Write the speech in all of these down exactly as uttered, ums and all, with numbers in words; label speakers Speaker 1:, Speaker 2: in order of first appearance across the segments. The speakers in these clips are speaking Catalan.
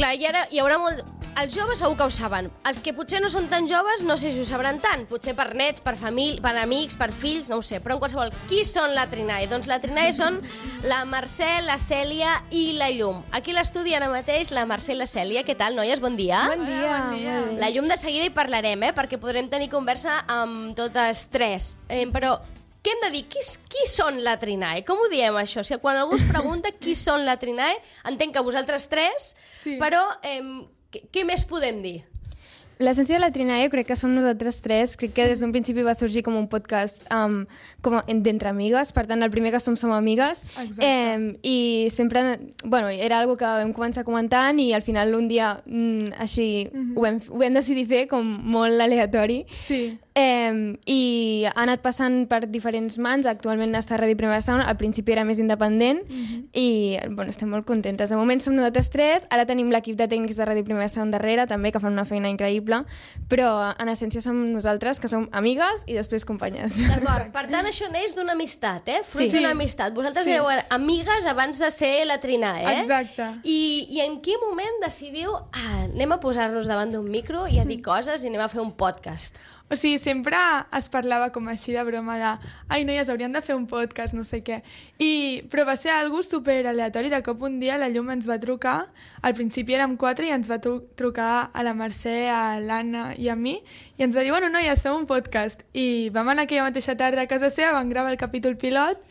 Speaker 1: clar, hi, ha, hi haurà molt... Els joves segur que ho saben. Els que potser no són tan joves, no sé si ho sabran tant. Potser per nets, per família, per amics, per fills, no ho sé. Però en qualsevol, qui són la Trinae? Doncs la Trinae són la Mercè, la Cèlia i la Llum. Aquí a l'estudi ara mateix la Mercè i la Cèlia. Què tal, noies? Bon dia.
Speaker 2: Bon dia.
Speaker 3: Hola, bon dia.
Speaker 1: La Llum de seguida hi parlarem, eh? Perquè podrem tenir conversa amb totes tres. Eh, però... Què hem de dir? Qui, qui són la Trinae? Com ho diem, això? O sigui, quan algú es pregunta qui són la Trinae, entenc que vosaltres tres, sí. Però eh, què, què més podem dir?
Speaker 2: L'essència de la Trinae crec que som nosaltres tres. Crec que des d'un principi va sorgir com un podcast um, com d'entre amigues. Per tant, el primer que som som amigues. Eh, I sempre, bueno, era algo que vam començar comentant i al final un dia mm, així mm-hmm. ho, vam, ho vam decidir fer com molt aleatori.
Speaker 3: Sí.
Speaker 2: Eh, I ha anat passant per diferents mans. Actualment està a Ràdio Primera Sound. Al principi era més independent mm-hmm. i bueno, estem molt contentes. De moment som nosaltres tres. Ara tenim l'equip de tècnics de Ràdio Primera Sound darrere també, que fan una feina increïble, però en essència som nosaltres, que som amigues i després companyes.
Speaker 1: D'acord, per tant això neix d'una amistat, eh? Fruit
Speaker 2: sí.
Speaker 1: d'una amistat. Vosaltres sí. éreu amigues abans de ser la Trinae, eh?
Speaker 3: Exacte.
Speaker 1: I, i en quin moment decidiu, ah, anem a posar-nos davant d'un micro i a dir coses i anem a fer un podcast?
Speaker 3: O sigui, sempre es parlava com així de broma de ai, noies, hauríem de fer un podcast, no sé què. I, però va ser algo super aleatori. De cop un dia la Llum ens va trucar, al principi érem quatre i ens va trucar a la Mercè, a l'Anna i a mi, i ens va dir, bueno, noies, fem un podcast. I vam anar aquella mateixa tarda a casa seva, vam gravar el capítol pilot,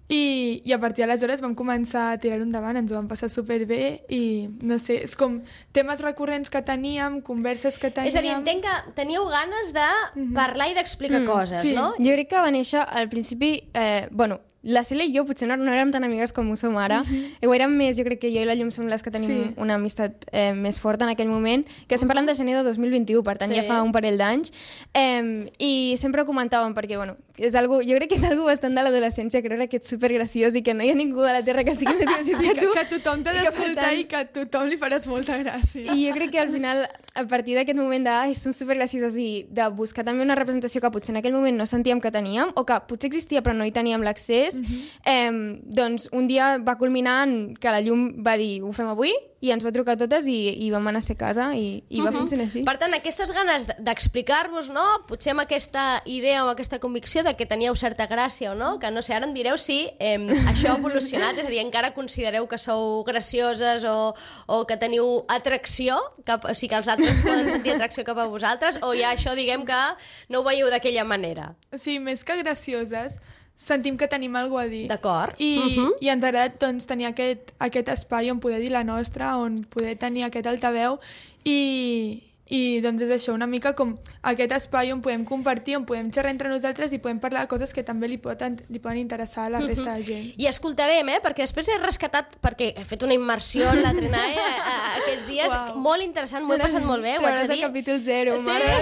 Speaker 3: I, i a partir d'aleshores vam començar a tirar-ho endavant, ens ho vam passar superbé i no sé, és com temes recurrents que teníem, converses que teníem...
Speaker 1: És a dir, entenc que teníeu ganes de parlar i d'explicar mm, coses,
Speaker 2: sí.
Speaker 1: no?
Speaker 2: Jo crec que va néixer al principi, eh, bueno, la Cèlia i jo potser no, no érem tan amigues com ho som ara, uh-huh. ho érem més, jo crec que jo i la Llum som les que tenim sí. una amistat eh, més forta en aquell moment, que estem parlant de gener de dos mil vint-i-u, per tant sí. ja fa un parell d'anys, eh, i sempre ho comentàvem perquè, bueno, és algo, jo crec que és algo bastant de l'adolescència, creure que ets supergraciós i que no hi ha ningú a la Terra que sigui més graciós
Speaker 3: sí,
Speaker 2: que tu.
Speaker 3: Que, que tothom t'ha d'escoltar i que a tothom li faràs molta gràcia.
Speaker 2: I jo crec que al final, a partir d'aquest moment de ai, som supergracioses i de buscar també una representació que potser en aquell moment no sentíem que teníem, o que potser existia però no hi teníem l'accés, uh-huh. eh, doncs un dia va culminar en que la Llum va dir ho fem avui i ens va trucar a totes i, i vam anar a ser casa i, i va uh-huh. funcionar així.
Speaker 1: Per tant, aquestes ganes d'explicar-vos, no? Potser amb aquesta idea o amb aquesta convicció de que teníeu certa gràcia o no, que no sé, ara em direu si eh, això ha evolucionat, és a dir, encara considereu que sou gracioses o, o que teniu atracció, cap, o sigui que els altres poden sentir atracció cap a vosaltres, o ja això diguem que no ho veieu d'aquella manera?
Speaker 3: O sigui, més que gracioses, sentim que tenim alguna cosa a dir.
Speaker 1: D'acord.
Speaker 3: I,
Speaker 1: uh-huh.
Speaker 3: i ens agrada doncs, tenir aquest, aquest espai on poder dir la nostra, on poder tenir aquest altaveu i, i doncs és això, una mica com aquest espai on podem compartir, on podem xerrar entre nosaltres i podem parlar de coses que també li poden, li poden interessar a la resta uh-huh. de gent.
Speaker 1: I escoltarem, eh? Perquè després he rescatat, perquè he fet una immersió en la Trinae a, a, aquests dies, wow. molt interessant, m'ho he passat molt bé, ho haig de dir.
Speaker 2: El capítol zero,
Speaker 1: sí?
Speaker 2: mare.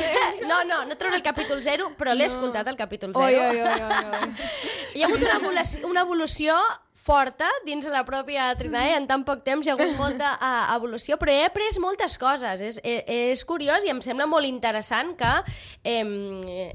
Speaker 1: No, no, no trobo el capítol zero, però l'he no. escoltat el capítol zero.
Speaker 2: Oi, oi, oi, oi.
Speaker 1: Hi ha hagut una evolució, una evolució forta dins la pròpia Trinae, en tan poc temps hi ha hagut molta uh, evolució, però he après moltes coses, és, és, és curiós i em sembla molt interessant que, eh,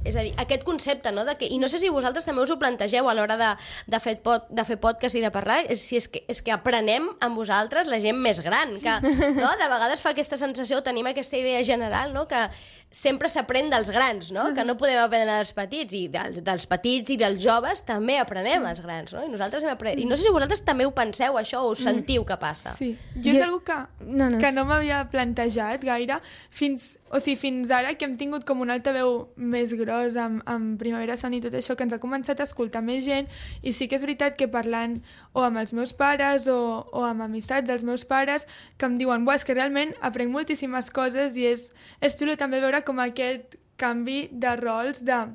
Speaker 1: és a dir, aquest concepte, no? De que, i no sé si vosaltres també us ho plantegeu a l'hora de, de, fer pod, de fer podcast i de parlar, és, si és, que, és que aprenem amb vosaltres la gent més gran, que no? De vegades fa aquesta sensació, tenim aquesta idea general, no? Que sempre s'aprèn dels grans, no? Que no podem aprendre dels petits, i dels, dels petits i dels joves també aprenem els grans, no? I nosaltres hem après... I no sé si vosaltres també ho penseu, això, o us sentiu que passa.
Speaker 3: Sí, jo és algo que no, no. que no m'havia plantejat gaire, fins, o sigui, fins ara que hem tingut com un altaveu més gros amb, amb Primavera Sound i tot això, que ens ha començat a escoltar més gent, i sí que és veritat que parlant o amb els meus pares o, o amb amistats dels meus pares, que em diuen, buah, és que realment aprenc moltíssimes coses i és, és xulo també veure com aquest canvi de rols, de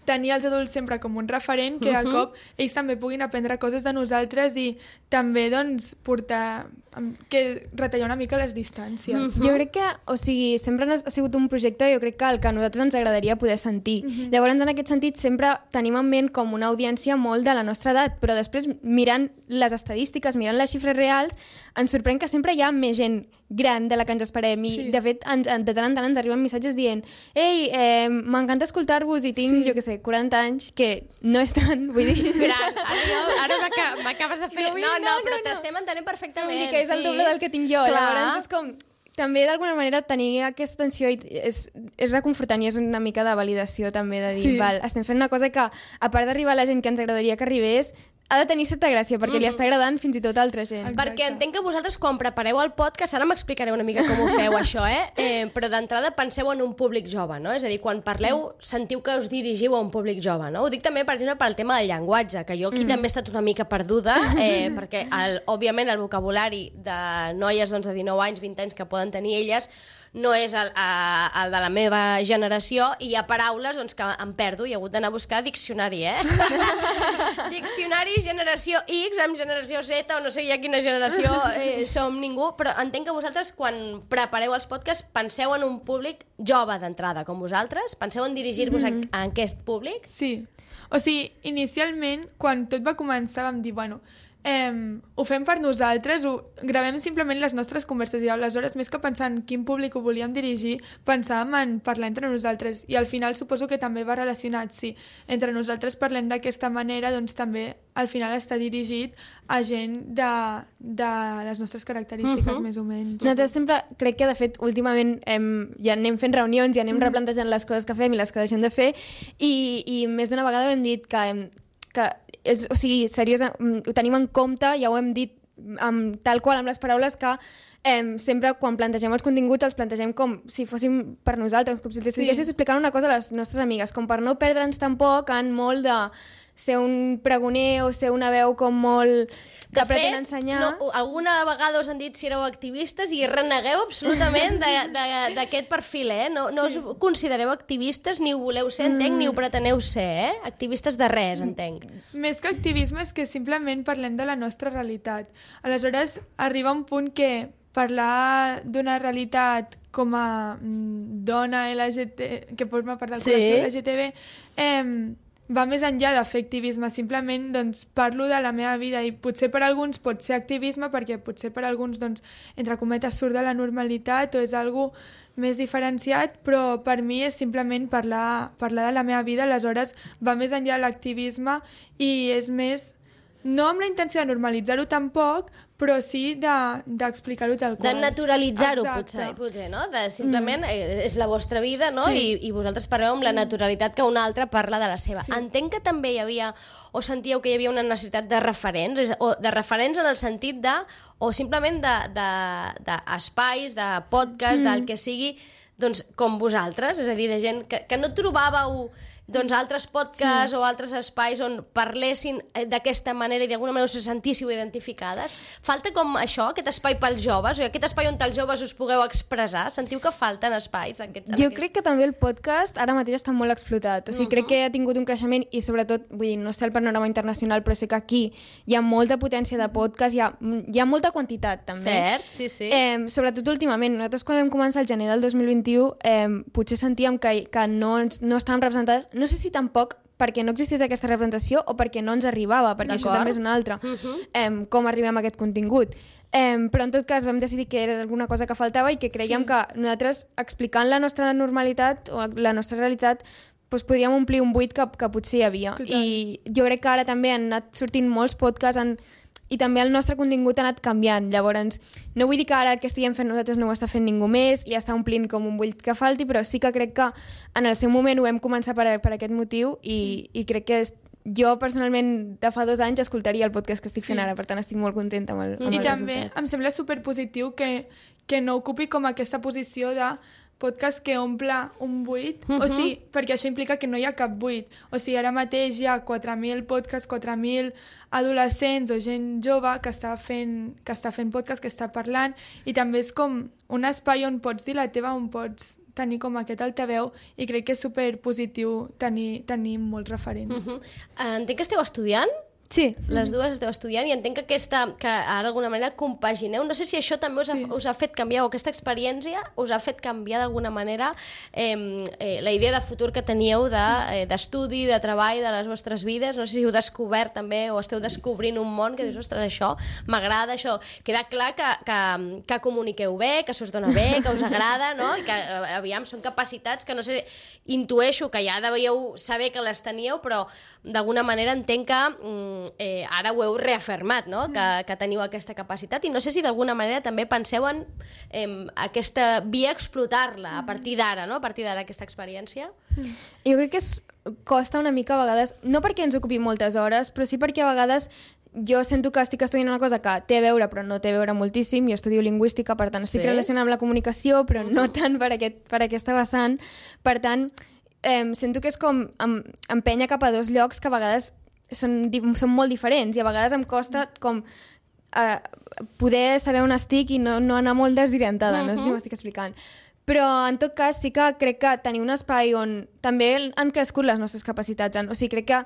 Speaker 3: tenir els adults sempre com un referent, que de cop ells també puguin aprendre coses de nosaltres i també doncs portar, que retallar una mica les distàncies.
Speaker 2: Uh-huh. Jo crec que, o sigui, sempre ha sigut un projecte, jo crec que el que a nosaltres ens agradaria poder sentir. Uh-huh. Llavors, en aquest sentit, sempre tenim en ment com una audiència molt de la nostra edat, però després, mirant les estadístiques, mirant les xifres reals, ens sorprèn que sempre hi ha més gent gran de la que ens esperem i, sí. de fet, ens, de tant en tant ens arriben missatges dient ei, eh, m'encanta escoltar-vos i tinc, sí. jo què sé, quaranta anys, que no és tant, vull dir...
Speaker 1: Gran, ara, jo, ara m'acabes de fer...
Speaker 2: No,
Speaker 1: no, no,
Speaker 2: no,
Speaker 1: però
Speaker 2: no,
Speaker 1: t'estem entenent perfectament.
Speaker 2: Vull dir que és el doble del que tinc jo.
Speaker 1: Clar.
Speaker 2: Llavors és com... també d'alguna manera tenir aquesta tensió és, és reconfortant i és una mica de validació també, de dir, sí. val, estem fent una cosa que, a part d'arribar a la gent que ens agradaria que arribés, ha de tenir certa gràcia, perquè mm. li està agradant fins i tot a altra gent.
Speaker 1: Exacte. Perquè entenc que vosaltres, quan prepareu el podcast, ara m'explicareu una mica com ho feu, això, eh? eh però d'entrada penseu en un públic jove, no? És a dir, quan parleu, sentiu que us dirigiu a un públic jove, no? Ho dic també, per exemple, pel tema del llenguatge, que jo aquí mm. també he estat una mica perduda, eh, perquè, el, òbviament, el vocabulari de noies doncs, de dinou anys, vint anys que poden tenir elles, no és el, el de la meva generació, i hi ha paraules doncs, que em perdo i he hagut d'anar a buscar diccionari, eh? Diccionari generació X amb generació Z, o no sé ja quina generació eh, som ningú, però entenc que vosaltres, quan prepareu els podcasts, penseu en un públic jove d'entrada, com vosaltres? Penseu en dirigir-vos mm-hmm. a, a aquest públic?
Speaker 3: Sí. O sigui, inicialment, quan tot va començar, vam dir, bueno, Eh, ho fem per nosaltres, ho gravem simplement les nostres converses i aleshores, més que pensar en quin públic ho volíem dirigir, pensàvem en parlar entre nosaltres i al final suposo que també va relacionat, si entre nosaltres parlem d'aquesta manera, doncs també al final està dirigit a gent de, de les nostres característiques, uh-huh. més o menys.
Speaker 2: Nosaltres sempre, crec que de fet últimament hem, ja anem fent reunions i anem uh-huh. replantejant les coses que fem i les que deixem de fer i, i més d'una vegada hem dit que, hem, que és, o sigui, seriós, ho tenim en compte, ja ho hem dit amb, tal qual amb les paraules, que eh, sempre quan plantegem els continguts els plantegem com si fóssim per nosaltres, com si estiguessis sí. explicant una cosa a les nostres amigues, com per no perdre'ns tampoc en molt de ser un pregoner o ser una veu com molt que pretén ensenyar.
Speaker 1: No, alguna vegada us han dit si éreu activistes i renegueu absolutament d'aquest perfil, eh? No, no us considereu activistes, ni ho voleu ser, entenc, mm. ni ho preteneu ser, eh? Activistes de res, entenc.
Speaker 3: Més que activisme és que simplement parlem de la nostra realitat. Aleshores, arriba un punt que parlar d'una realitat com a dona L G T B, que forma part del sí. col·lectiu L G T B, eh, va més enllà de fer activisme, simplement doncs, parlo de la meva vida i potser per alguns pot ser activisme perquè potser per alguns, doncs, entre cometes, surt de la normalitat o és algo més diferenciat, però per mi és simplement parlar, parlar de la meva vida, aleshores va més enllà de l'activisme i és més, no amb la intenció de normalitzar-ho tampoc, però sí d'explicar-ho de, tal qual.
Speaker 1: De naturalitzar-ho, potser, potser, no? De simplement, mm. és la vostra vida, no? Sí. I, I vosaltres parleu amb la naturalitat que un altre parla de la seva. Sí. Entenc que també hi havia, o sentíeu que hi havia una necessitat de referents, és, o de referents en el sentit de, o simplement d'espais, de, de, de podcast, mm. del que sigui, doncs, com vosaltres, és a dir, de gent que, que no trobàveu doncs altres podcasts sí. o altres espais on parlessin d'aquesta manera i d'alguna manera us sentíssiu identificades. Falta com això, aquest espai pels joves, o aquest espai on els joves us pugueu expressar? Sentiu que falten espais? Aquests,
Speaker 2: jo crec que també el podcast ara mateix està molt explotat. O sigui, uh-huh. crec que ha tingut un creixement i sobretot, vull dir, no sé el panorama internacional, però sé que aquí hi ha molta potència de podcast, hi ha, hi ha molta quantitat també.
Speaker 1: Cert, sí, sí.
Speaker 2: Eh, sobretot últimament. Nosaltres quan vam començar el gener del dos mil vint-i-u eh, potser sentíem que, que no, no estaven representades. No sé si tampoc perquè no existís aquesta representació o perquè no ens arribava, perquè això també és una altra, uh-huh. eh, com arribem a aquest contingut. Eh, però en tot cas vam decidir que era alguna cosa que faltava i que creiem sí. que nosaltres, explicant la nostra normalitat o la nostra realitat, doncs podríem omplir un buit que, que potser hi havia. Total. I jo crec que ara també han anat sortint molts podcasts en i també el nostre contingut ha anat canviant. Llavors, no vull dir que ara el que estiguem fent nosaltres no ho està fent ningú més i està omplint com un buit que falti, però sí que crec que en el seu moment ho vam començar per, per aquest motiu i, i crec que és, jo personalment de fa dos anys escoltaria el podcast que estic sí. fent ara, per tant estic molt contenta amb el, amb
Speaker 3: I
Speaker 2: el
Speaker 3: també
Speaker 2: resultat.
Speaker 3: Em sembla superpositiu que, que no ocupi com aquesta posició de podcast que omple un buit, uh-huh. o sigui, perquè això implica que no hi ha cap buit. O sigui, ara mateix hi ha quatre mil podcasts, quatre mil adolescents o gent jove que està fent, que està fent podcast, que està parlant, i també és com un espai on pots dir la teva, on pots tenir com aquest altaveu, i crec que és superpositiu tenir, tenir molts referents.
Speaker 1: Uh-huh. Entenc que esteu estudiant?
Speaker 2: Sí.
Speaker 1: Les dues esteu estudiant i entenc que aquesta, que ara d'alguna manera compagineu. No sé si això també us ha, sí. us ha fet canviar, o aquesta experiència us ha fet canviar d'alguna manera eh, eh, la idea de futur que teníeu d'estudi, de, eh, de treball, de les vostres vides. No sé si heu descobert també o esteu descobrint un món que dius, ostres, això m'agrada, això. Queda clar que, que, que comuniqueu bé, que s'us dona bé, que us agrada, no? I que, aviam, són capacitats que, no sé, intueixo que ja devíeu saber que les teníeu, però d'alguna manera entenc que... Mm, eh, ara ho heu reafirmat, no? que, que teniu aquesta capacitat, i no sé si d'alguna manera també penseu en eh, aquesta via explotar-la a partir d'ara, no? a partir d'ara aquesta experiència.
Speaker 2: Jo crec que es costa una mica a vegades, no perquè ens ocupi moltes hores, però sí perquè a vegades jo sento que estic estudiant una cosa que té a veure però no té a veure moltíssim. Jo estudio lingüística, per tant estic sí. relacionada amb la comunicació, però uh-huh. no tant per, aquest, per aquesta vessant. Per tant, eh, sento que és com em, empènyer cap a dos llocs que a vegades són, són molt diferents, i a vegades em costa com eh, poder saber on estic i no, no anar molt desorientada, uh-huh. no sé si m'estic explicant. Però, en tot cas, sí que crec que tenir un espai on també han crescut les nostres capacitats. O sigui, crec que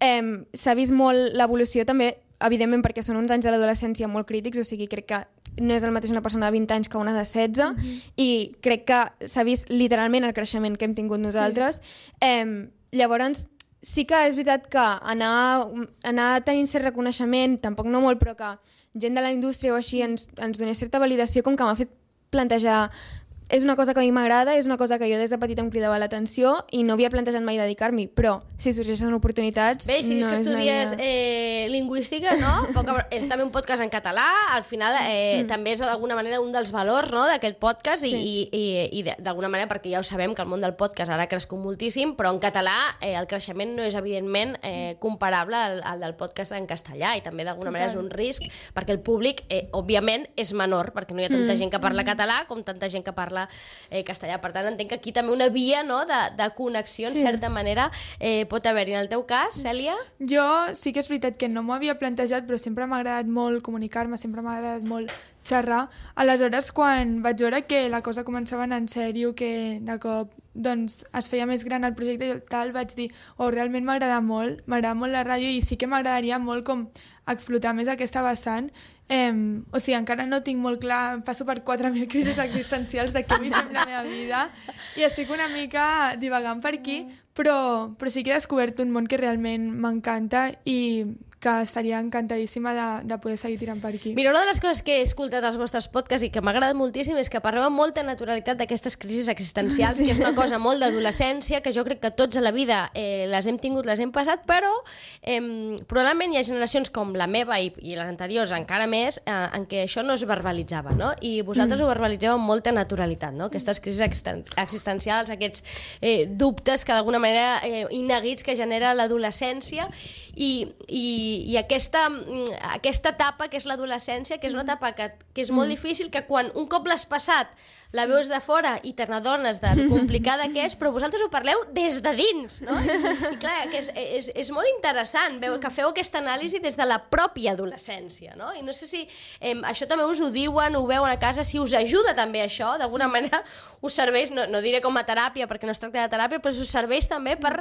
Speaker 2: eh, s'ha vist molt l'evolució també, evidentment, perquè són uns anys de l'adolescència molt crítics, o sigui, crec que no és el mateix una persona de vint anys que una de setze, mm-hmm. i crec que s'ha vist literalment el creixement que hem tingut nosaltres. Sí. Eh, llavors, sí que és veritat que anar, anar tenint cert reconeixement, tampoc no molt, però que gent de la indústria o així ens, ens donés certa validació, com que m'ha fet plantejar és una cosa que a mi m'agrada, és una cosa que jo des de petita em cridava l'atenció i no havia plantejat mai dedicar-m'hi, però si sorgeixen oportunitats...
Speaker 1: Bé, si dius
Speaker 2: no
Speaker 1: que estudies eh, lingüística, no? Poca, és també un podcast en català, al final eh, mm. també és d'alguna manera un dels valors, no?, d'aquest podcast, sí. i, i, i d'alguna manera, perquè ja ho sabem que el món del podcast ara ha crescut moltíssim, però en català eh, el creixement no és evidentment eh, comparable al, al del podcast en castellà, i també d'alguna manera és un risc, perquè el públic, eh, òbviament, és menor, perquè no hi ha tanta mm. gent que parla català com tanta gent que parla Eh, castellà. Per tant, entenc que aquí també una via, no?, de, de connexió, en sí. certa manera, eh, pot haver-hi. En el teu cas, Cèlia?
Speaker 3: Jo sí que és veritat que no m'ho havia plantejat, però sempre m'ha agradat molt comunicar-me, sempre m'ha agradat molt xerrar. Aleshores, quan vaig veure que la cosa començava a anar en sèrio, que de cop doncs, es feia més gran el projecte i tal, vaig dir, oh, realment m'agrada molt, m'agrada molt la ràdio, i sí que m'agradaria molt com explotar més aquesta vessant. Eh, o sigui, encara no tinc molt clar, passo per quatre mil crisis existencials de què vull fer amb la meva vida, i estic una mica divagant per aquí, però, però sí que he descobert un món que realment m'encanta i que estaria encantadíssima de, de poder seguir tirant per aquí.
Speaker 1: Mira, una de les coses que he escoltat als vostres podcasts i que m'ha agradat moltíssim és que parleu amb molta naturalitat d'aquestes crisis existencials, sí. que és una cosa molt d'adolescència, que jo crec que tots a la vida eh, les hem tingut, les hem passat, però eh, probablement hi ha generacions com la meva i, i les anteriors encara més, eh, en què això no es verbalitzava, no? I vosaltres mm. ho verbalitzeu amb molta naturalitat, no? Aquestes crisis existen existencials, aquests eh, dubtes que d'alguna manera eh, ineguits que genera l'adolescència, i, i i aquesta, aquesta etapa que és l'adolescència, que és una etapa que, que és molt difícil, que quan un cop l'has passat la veus de fora i te n'adones de lo complicada que és, però vosaltres ho parleu des de dins, no? I clar, que és, és, és molt interessant veu, que feu aquesta anàlisi des de la pròpia adolescència, no? I no sé si eh, això també us ho diuen, ho veuen a casa, si us ajuda també això, d'alguna manera us serveix, no, no diré com a teràpia, perquè no es tracta de teràpia, però us serveix també per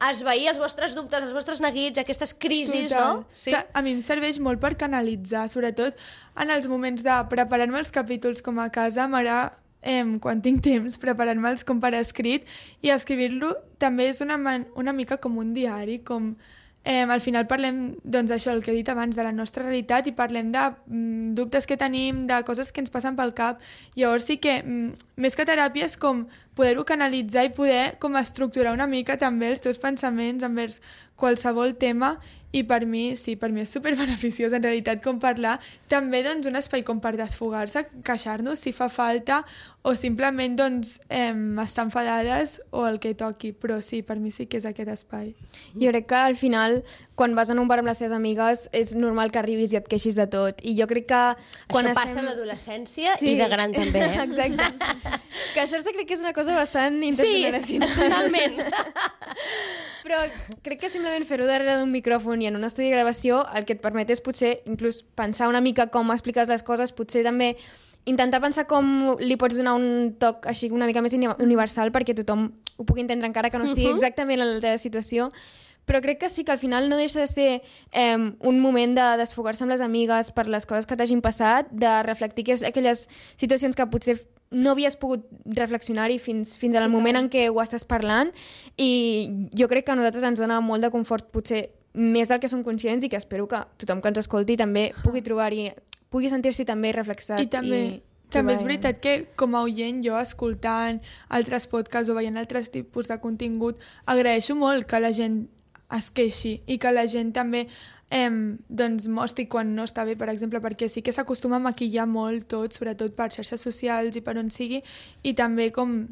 Speaker 1: esvair els vostres dubtes, els vostres neguits, aquestes crisis,
Speaker 3: Total.
Speaker 1: no? Sí?
Speaker 3: A mi em serveix molt per canalitzar, sobretot en els moments de preparar-me els capítols com a casa, m'agrada, eh, quan tinc temps, preparar-me'ls com per escrit, i escriure-lo també és una, man una mica com un diari, com eh, al final parlem, doncs això, el que he dit abans, de la nostra realitat, i parlem de mm, dubtes que tenim, de coses que ens passen pel cap. Llavors sí que, mm, més que teràpia, és com poder-ho canalitzar i poder com estructurar una mica també els teus pensaments envers qualsevol tema, i per mi, sí, per mi és superbeneficiós en realitat com parlar, també doncs un espai com per desfogar-se, queixar-nos si fa falta, o simplement doncs eh, estar enfadades o el que toqui, però sí, per mi sí que és aquest espai.
Speaker 2: Jo crec que al final, quan vas en un bar amb les teves amigues, és normal que arribis i et queixis de tot, i jo crec que...
Speaker 1: Quan això passa estem... a l'adolescència sí. i de gran també, eh?
Speaker 2: Exacte. Queixar-se crec que és una cosa bastant intergeneracional.
Speaker 1: Sí, totalment.
Speaker 2: Però crec que simplement fer-ho darrere d'un micròfon i en un estudi de gravació el que et permet és potser inclús pensar una mica com expliques les coses, potser també intentar pensar com li pots donar un toc així una mica més universal perquè tothom ho pugui entendre encara que no estigui exactament en la teva situació. Però crec que sí que al final no deixa de ser eh, un moment de desfogar-se amb les amigues per les coses que t'hagin passat, de reflectir que és aquelles situacions que potser no havies pogut reflexionar-hi fins, fins al moment en què ho estàs parlant, i jo crec que a nosaltres ens dona molt de confort, potser més del que som conscients, i que espero que tothom que ens escolti també pugui trobar-hi, pugui sentir-s'hi també reflexat.
Speaker 3: I també... I... També és veritat que, com a oient, jo escoltant altres podcasts o veient altres tipus de contingut, agraeixo molt que la gent es queixi i que la gent també eh, doncs mostri quan no està bé, per exemple, perquè sí que s'acostuma a maquillar molt tot, sobretot per xarxes socials i per on sigui, i també com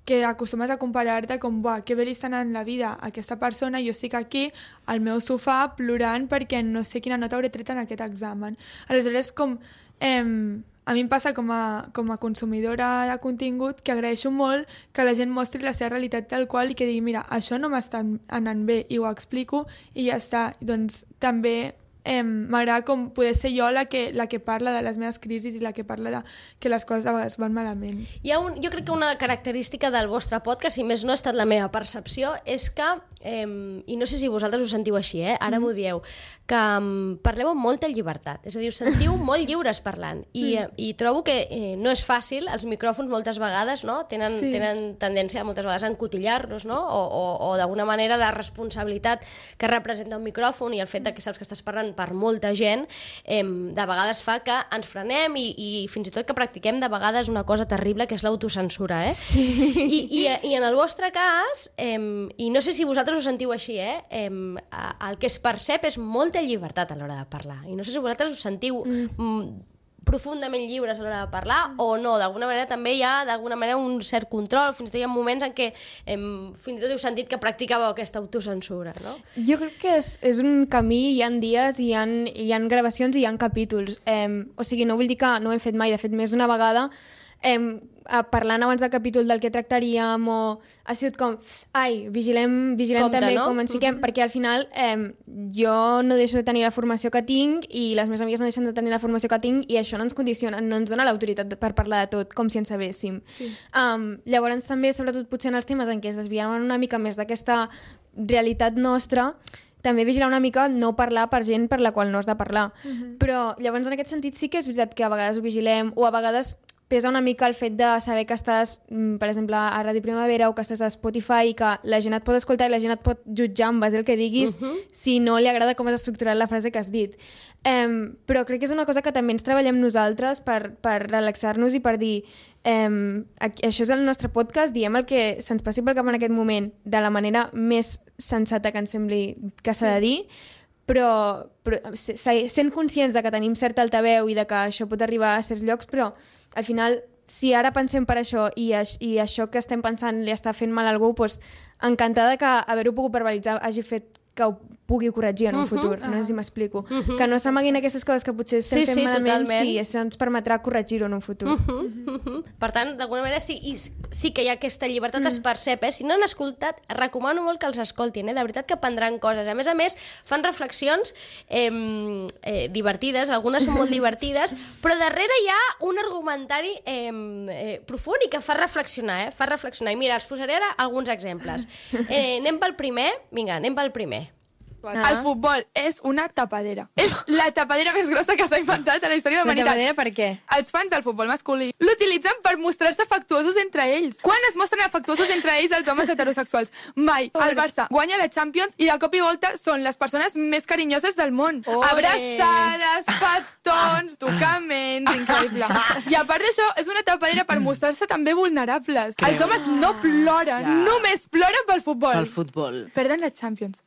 Speaker 3: que acostumes a comparar-te com, buah, que bé li està anant la vida a aquesta persona, jo estic aquí al meu sofà plorant perquè no sé quina nota hauré tret en aquest examen. Aleshores, com... Eh, a mi em passa com a, com a consumidora de contingut que agraeixo molt que la gent mostri la seva realitat tal qual i que digui, mira, això no m'està anant bé i ho explico i ja està. Doncs també eh, m'agrada com poder ser jo la que, la que parla de les meves crisis i la que parla de que les coses a vegades van malament.
Speaker 1: Hi ha un, jo crec que una característica del vostre podcast, si més no ha estat la meva percepció, és que, eh, i no sé si vosaltres ho sentiu així, eh? Ara mm. m'ho dieu, que um, parleu amb molta llibertat, és a dir, us sentiu molt lliures parlant i, mm. i trobo que eh, no és fàcil, els micròfons moltes vegades no? tenen, sí. tenen tendència moltes vegades a encotillar-nos, no? o, o, o d'alguna manera la responsabilitat que representa un micròfon i el fet de que saps que estàs parlant per molta gent eh, de vegades fa que ens frenem i, i fins i tot que practiquem de vegades una cosa terrible que és l'autocensura, eh?
Speaker 2: Sí.
Speaker 1: I, i, I en el vostre cas, eh, i no sé si vosaltres ho sentiu així, eh? Eh, el que es percep és molta llibertat a l'hora de parlar. I no sé si vosaltres us sentiu mm. profundament lliures a l'hora de parlar o no. D'alguna manera també hi ha d'alguna manera un cert control. Fins i tot hi ha moments en què eh, fins i tot heu sentit que practicàveu aquesta autocensura, no?
Speaker 2: Jo crec que és, és un camí, hi ha dies, hi ha, hi ha gravacions i hi ha capítols. Eh, o sigui, no vull dir que no ho hem fet mai, de fet, més d'una vegada eh, parlant abans del capítol del que tractaríem o ha sigut com, ai, vigilem, vigilem
Speaker 1: Compte,
Speaker 2: també
Speaker 1: no?
Speaker 2: com ens fiquem, mm-hmm. perquè al final eh, jo no deixo de tenir la formació que tinc i les meves amigues no deixen de tenir la formació que tinc i això no ens condiciona, no ens dona l'autoritat per parlar de tot com si en sabéssim.
Speaker 3: Sí.
Speaker 2: Um, llavors també, sobretot potser en els temes en què es desviaven una mica més d'aquesta realitat nostra, també vigilar una mica no parlar per gent per la qual no has de parlar. Mm-hmm. Però llavors en aquest sentit sí que és veritat que a vegades ho vigilem o a vegades pesa una mica el fet de saber que estàs, per exemple, a Ràdio Primavera o que estàs a Spotify i que la gent et pot escoltar i la gent et pot jutjar en base al que diguis uh-huh. si no li agrada com has estructurat la frase que has dit. Um, però crec que és una cosa que també ens treballem nosaltres per, per relaxar-nos i per dir um, això és el nostre podcast, diem el que se'ns passi pel cap en aquest moment de la manera més sensata que ens sembli que s'ha sí. de dir, però, però sent conscients de que tenim certa altaveu i de que això pot arribar a certs llocs, però al final, si ara pensem per això i, i això que estem pensant li està fent mal a algú, doncs encantada que haver-ho pogut verbalitzar hagi fet que ho pugui corregir en un uh-huh. futur, no sé si m'explico. Uh-huh. Que no s'amaguin aquestes coses que potser estem sí, fent sí, malament, totalment. Sí, això ens permetrà corregir-ho en un futur.
Speaker 1: Uh-huh. Uh-huh. Per tant, d'alguna manera sí, i sí que hi ha aquesta llibertat uh-huh. es percep, eh? Si no han escoltat, recomano molt que els escoltin, eh? De veritat que aprendran coses. A més a més, fan reflexions eh, eh, divertides, algunes són molt divertides, però darrere hi ha un argumentari eh, eh, profund i que fa reflexionar, eh? Fa reflexionar. I mira, els posaré ara alguns exemples. Eh, anem pel primer? Vinga, anem pel primer.
Speaker 3: Ah. El futbol és una tapadera. És la tapadera més grossa que s'ha inventat a la història de la humanitat.
Speaker 4: La tapadera per què?
Speaker 3: Els fans del futbol masculí l'utilitzen per mostrar-se afectuosos entre ells. Quan es mostren afectuosos entre ells els homes heterosexuals? Mai. El Barça guanya la Champions i de cop i volta són les persones més carinyoses del món. Ole. Abraçades, petons, tocaments, increïble. I a part d'això, és una tapadera per mostrar-se també vulnerables. Creu? Els homes no ploren, ja. només ploren pel futbol.
Speaker 4: Pel futbol.
Speaker 3: Perden la Champions.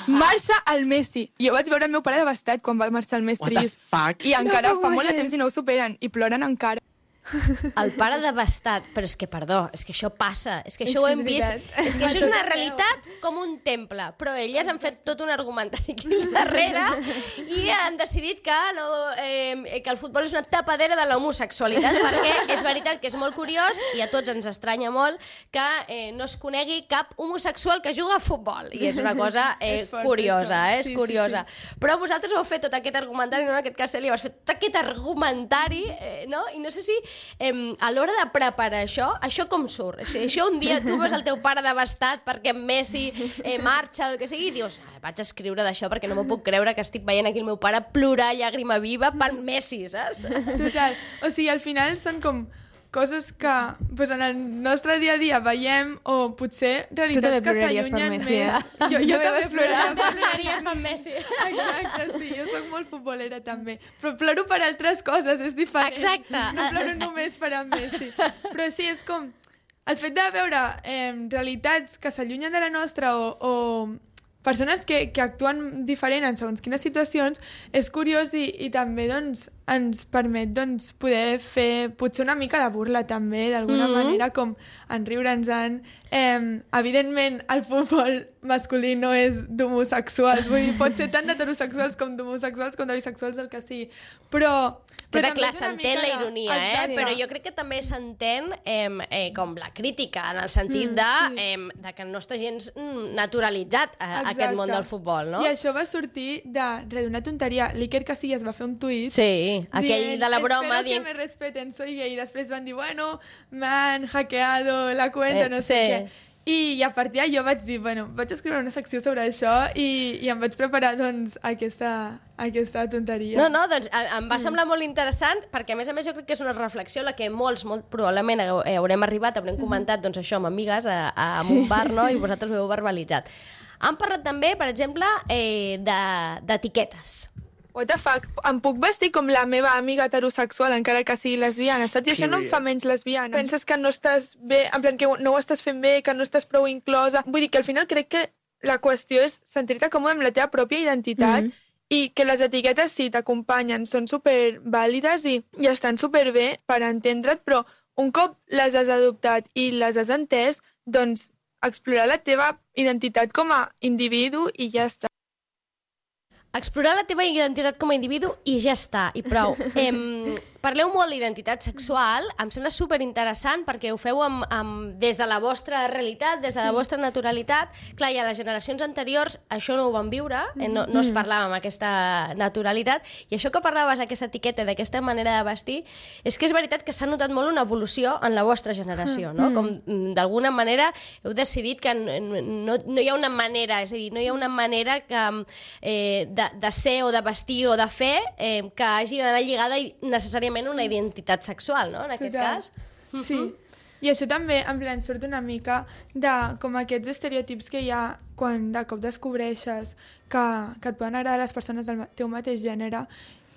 Speaker 3: Marxa el Messi. Jo vaig veure el meu pare devastat quan va marxar el Messi.
Speaker 4: What the fuck?
Speaker 3: I encara no fa molt de temps i no ho superen. I ploren encara.
Speaker 1: El pare devastat, però és que, perdó, és que això passa, és que això és ho hem vist, és que això és una realitat com un temple, però elles han fet tot un argumentari aquí darrere i han decidit que, no, eh, que el futbol és una tapadera de l'homosexualitat, perquè és veritat que és molt curiós i a tots ens estranya molt que eh, no es conegui cap homosexual que juga a futbol, i és una cosa eh, és curiosa, eh, és sí, curiosa. Sí, sí. Però vosaltres heu fet tot aquest argumentari, no, en aquest cas Cèlia, vas fer tot aquest argumentari, eh, no? I no sé si Eh, a l'hora de preparar això, això com surt? Si això un dia tu vas al teu pare devastat perquè Messi eh, marxa o el que sigui i dius, ah, vaig a escriure d'això perquè no m'ho puc creure que estic veient aquí el meu pare plorar llàgrima viva per Messi, saps?
Speaker 3: Total. O sigui, al final són com coses que pues, en el nostre dia a dia veiem o potser realitats que s'allunyen més.
Speaker 2: Eh?
Speaker 3: Jo, jo també ploraria.
Speaker 1: Ploraries per Messi.
Speaker 3: Exacte, sí, jo soc molt futbolera també. Però ploro per altres coses, és diferent.
Speaker 1: Exacte.
Speaker 3: No ploro només per en Messi. Però sí, és com el fet de veure eh, realitats que s'allunyen de la nostra o, o persones que, que actuen diferent en segons quines situacions, és curiós i, i també doncs, ens permet doncs, poder fer potser una mica de burla també, d'alguna mm-hmm. manera, com en riure'ns-en. Eh, evidentment, el futbol masculí no és d'homosexuals, vull dir, pot ser tant d'heterosexuals com d'homosexuals com de bisexuals, el que sigui, però...
Speaker 1: Però, però clar, s'entén la ironia, de... eh? Però jo crec que també s'entén eh, eh, com la crítica, en el sentit mm, de, sí. eh, de que no està gens naturalitzat a, aquest món del futbol, no?
Speaker 3: I això va sortir de, de d'una tonteria. L'Iker Casillas va fer un tuit
Speaker 1: sí, aquell dient, de la broma
Speaker 3: espero dient... que me respeten, soy gay. I després van dir, bueno, m'han hackeado la cuenta, eh, no sé sí. què. I a partir d'allò vaig dir, bueno, vaig escriure una secció sobre això i, i em vaig preparar, doncs, aquesta, aquesta tonteria.
Speaker 1: No, no, doncs em va semblar molt interessant perquè, a més a més, jo crec que és una reflexió la que molts, molt probablement haurem arribat, haurem comentat, doncs, això amb amigues a, a un bar, no?, i vosaltres ho heu verbalitzat. Han parlat també, per exemple, eh, d'etiquetes.
Speaker 4: What the fuck? Em puc vestir com la meva amiga heterosexual encara que sigui lesbiana, saps? I això no em fa menys lesbiana. Penses que no estàs bé, en plan que no ho estàs fent bé, que no estàs prou inclosa. Vull dir que al final crec que la qüestió és sentir-te còmode amb la teva pròpia identitat mm. i que les etiquetes sí t'acompanyen, són supervàlides i, i estan superbé per entendre't, però un cop les has adoptat i les has entès, doncs explorar la teva identitat com a individu i ja està.
Speaker 1: Explorar la teva identitat com a individu i ja està, i prou. Em, parleu molt d'identitat sexual, em sembla superinteressant perquè ho feu amb, amb, des de la vostra realitat, des de sí. la vostra naturalitat. Clar, i a les generacions anteriors això no ho van viure, eh, no, no es parlava amb aquesta naturalitat, i això que parlaves d'aquesta etiqueta, d'aquesta manera de vestir, és que és veritat que s'ha notat molt una evolució en la vostra generació, no? Com d'alguna manera heu decidit que no, no hi ha una manera, és a dir, no hi ha una manera que... Eh, De, de ser o de vestir o de fer eh, que hagi d'anar lligada necessàriament a una identitat sexual, no? En aquest Total. cas.
Speaker 3: Sí. Uh-huh. I això també, en plan, surt una mica de com aquests estereotips que hi ha quan de cop descobreixes que, que et poden agradar les persones del teu mateix gènere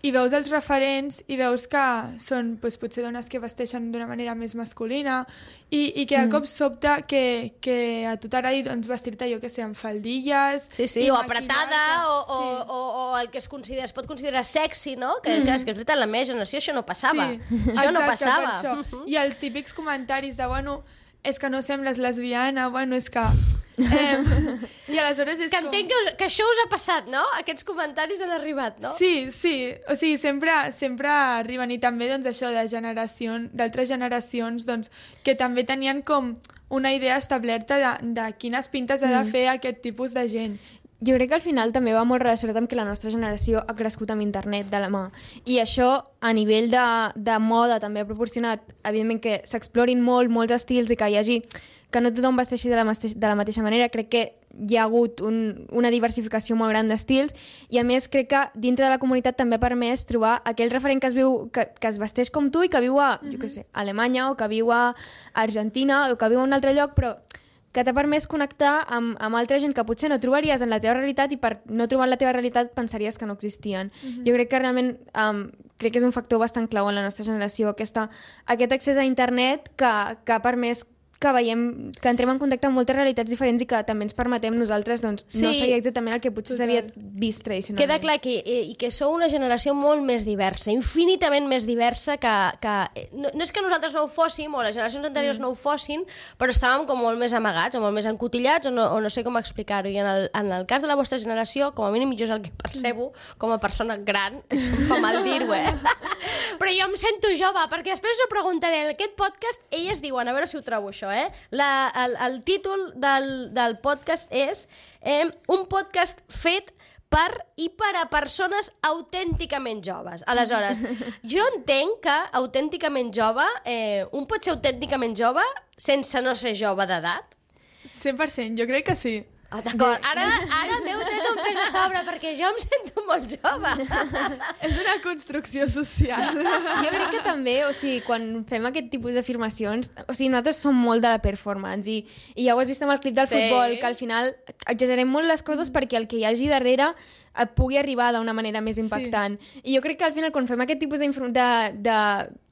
Speaker 3: i veus els referents i veus que són doncs, potser dones que vesteixen d'una manera més masculina i, i que de cop sobta que, que a tu t'agradi doncs, vestir-te, jo que sé, amb faldilles...
Speaker 1: Sí, sí, o apretada, o, sí. o, o, o el que es, considera, es pot considerar sexy, no? Que, mm. que és que és veritat, la meva generació això no passava. Sí. Això Exacte, no passava.
Speaker 3: Això. Uh-huh. I els típics comentaris de, bueno, és que no sembles lesbiana, bueno, és que... Eh, i aleshores és
Speaker 1: que com... entenc que, us, que això us ha passat, no? Aquests comentaris han arribat, no?
Speaker 3: Sí, sí, o sigui, sempre, sempre arriben i també doncs, això de generació, d'altres generacions doncs, que també tenien com una idea establerta de, de quines pintes mm. ha de fer aquest tipus de gent.
Speaker 2: Jo crec que al final també va molt relacionat amb que la nostra generació ha crescut amb internet de la mà. I això, a nivell de, de moda, també ha proporcionat, evidentment, que s'explorin molt, molts estils i que hi hagi... que no tothom vesteixi de la, de la mateixa manera. Crec que hi ha hagut un, una diversificació molt gran d'estils i, a més, crec que dintre de la comunitat també ha permès trobar aquell referent que es, viu, que, que es vesteix com tu i que viu a, mm-hmm. jo què sé, a Alemanya o que viu a Argentina o que viu a un altre lloc, però que t'ha permès connectar amb, amb altra gent que potser no trobaries en la teva realitat i per no trobar en la teva realitat pensaries que no existien. Mm-hmm. Jo crec que realment um, crec que és un factor bastant clau en la nostra generació, aquesta, aquest accés a internet que, que ha permès que veiem, que entrem en contacte amb moltes realitats diferents i que també ens permetem nosaltres doncs, sí. no seguir exactament el que potser s'havia vist tradicionalment.
Speaker 1: Queda clar que, i que sou una generació molt més diversa, infinitament més diversa que... que no, no és que nosaltres no ho fóssim, o les generacions anteriors mm. no ho fossin, però estàvem com molt més amagats, o molt més encotillats, o no, o no sé com explicar-ho. I en el, en el cas de la vostra generació, com a mínim jo és el que percebo, com a persona gran, em fa mal dir-ho, eh? Però jo em sento jove, perquè després us ho preguntaré. En aquest podcast, elles diuen, a veure si ho trobo això, eh? La, el, el títol del, del podcast és eh, un podcast fet per i per a persones autènticament joves. Aleshores, jo entenc que autènticament jove, eh, un pot ser autènticament jove sense no ser jove d'edat?
Speaker 3: cent per cent, jo crec que sí.
Speaker 1: Ah, d'acord, ara, ara m'heu tret un pes a sobre perquè jo em sento molt jove.
Speaker 3: És una construcció social.
Speaker 2: Jo crec que també, o sigui, quan fem aquest tipus d'afirmacions, o sigui, nosaltres som molt de la performance i, i ja ho has vist amb el clip del sí. futbol, que al final exagerem molt les coses perquè el que hi hagi darrere et pugui arribar d'una manera més impactant. Sí. I jo crec que al final quan fem aquest tipus de, de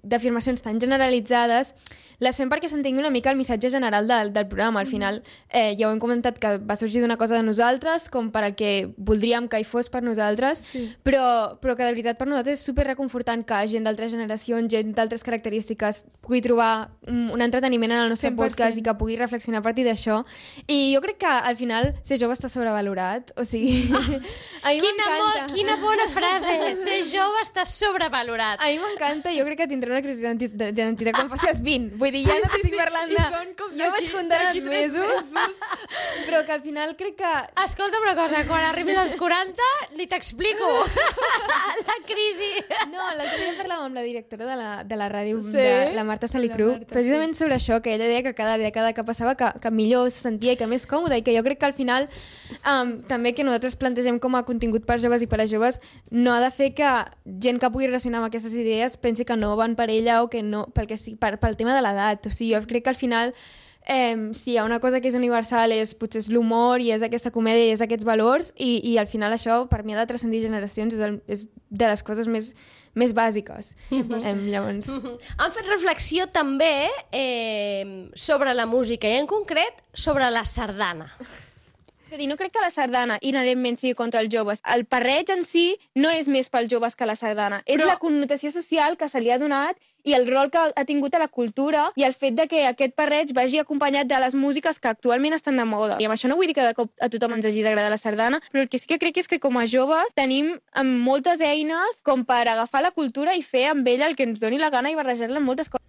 Speaker 2: d'afirmacions tan generalitzades, les fem perquè s'entengui una mica el missatge general del, del programa. Al final, eh, ja ho hem comentat que va sorgir d'una cosa de nosaltres, com per al que voldríem que hi fos per nosaltres, sí. però, però que de veritat per nosaltres és super reconfortant que gent d'altres generacions, gent d'altres característiques pugui trobar un, un entreteniment en el nostre cent per cent podcast i que pugui reflexionar a partir d'això. I jo crec que al final ser jove està sobrevalorat, o sigui... a mi
Speaker 1: quina, molt, quina bona frase! Ser jove està sobrevalorat.
Speaker 2: A mi m'encanta, jo crec que tindré una crisi d'identitat quan passi els vint. Vull dir, ja sí, no t'estic sí, parlant de... Jo vaig comptant els mesos, mesos, però que al final crec que...
Speaker 1: Escolta una cosa, quan arribis als quaranta ni t'explico la crisi.
Speaker 2: No, l'altre dia parlàvem amb la directora de la, de la ràdio, sí? de la Marta Salicru, la Marta, precisament sí. sobre això, que ella deia que cada dècada que passava que, que millor se sentia i que més còmode, i que jo crec que al final um, també que nosaltres plantegem com a contingut per joves i per a joves no ha de fer que gent que pugui relacionar amb aquestes idees pensi que no van per ella o que no, pel, que sí, per, pel tema de l'edat. O sigui, jo crec que al final eh, si hi ha una cosa que és universal és potser és l'humor i és aquesta comèdia i és aquests valors i, i al final això per mi ha de transcendir generacions, és, el, és de les coses més, més bàsiques. Mm-hmm. eh, llavors...
Speaker 1: Mm-hmm. Han fet reflexió també eh, sobre la música i en concret sobre la sardana.
Speaker 5: És a dir, no crec que la sardana inherentment sigui contra els joves. El parreig en si no és més pels joves que la sardana. És Però... la connotació social que se li ha donat i el rol que ha tingut a la cultura i el fet de que aquest parreig vagi acompanyat de les músiques que actualment estan de moda. I amb això no vull dir que de cop a tothom ens hagi d'agradar la sardana, però el que sí que crec és que com a joves tenim moltes eines com per agafar la cultura i fer amb ella el que ens doni la gana i barrejar-la amb moltes coses.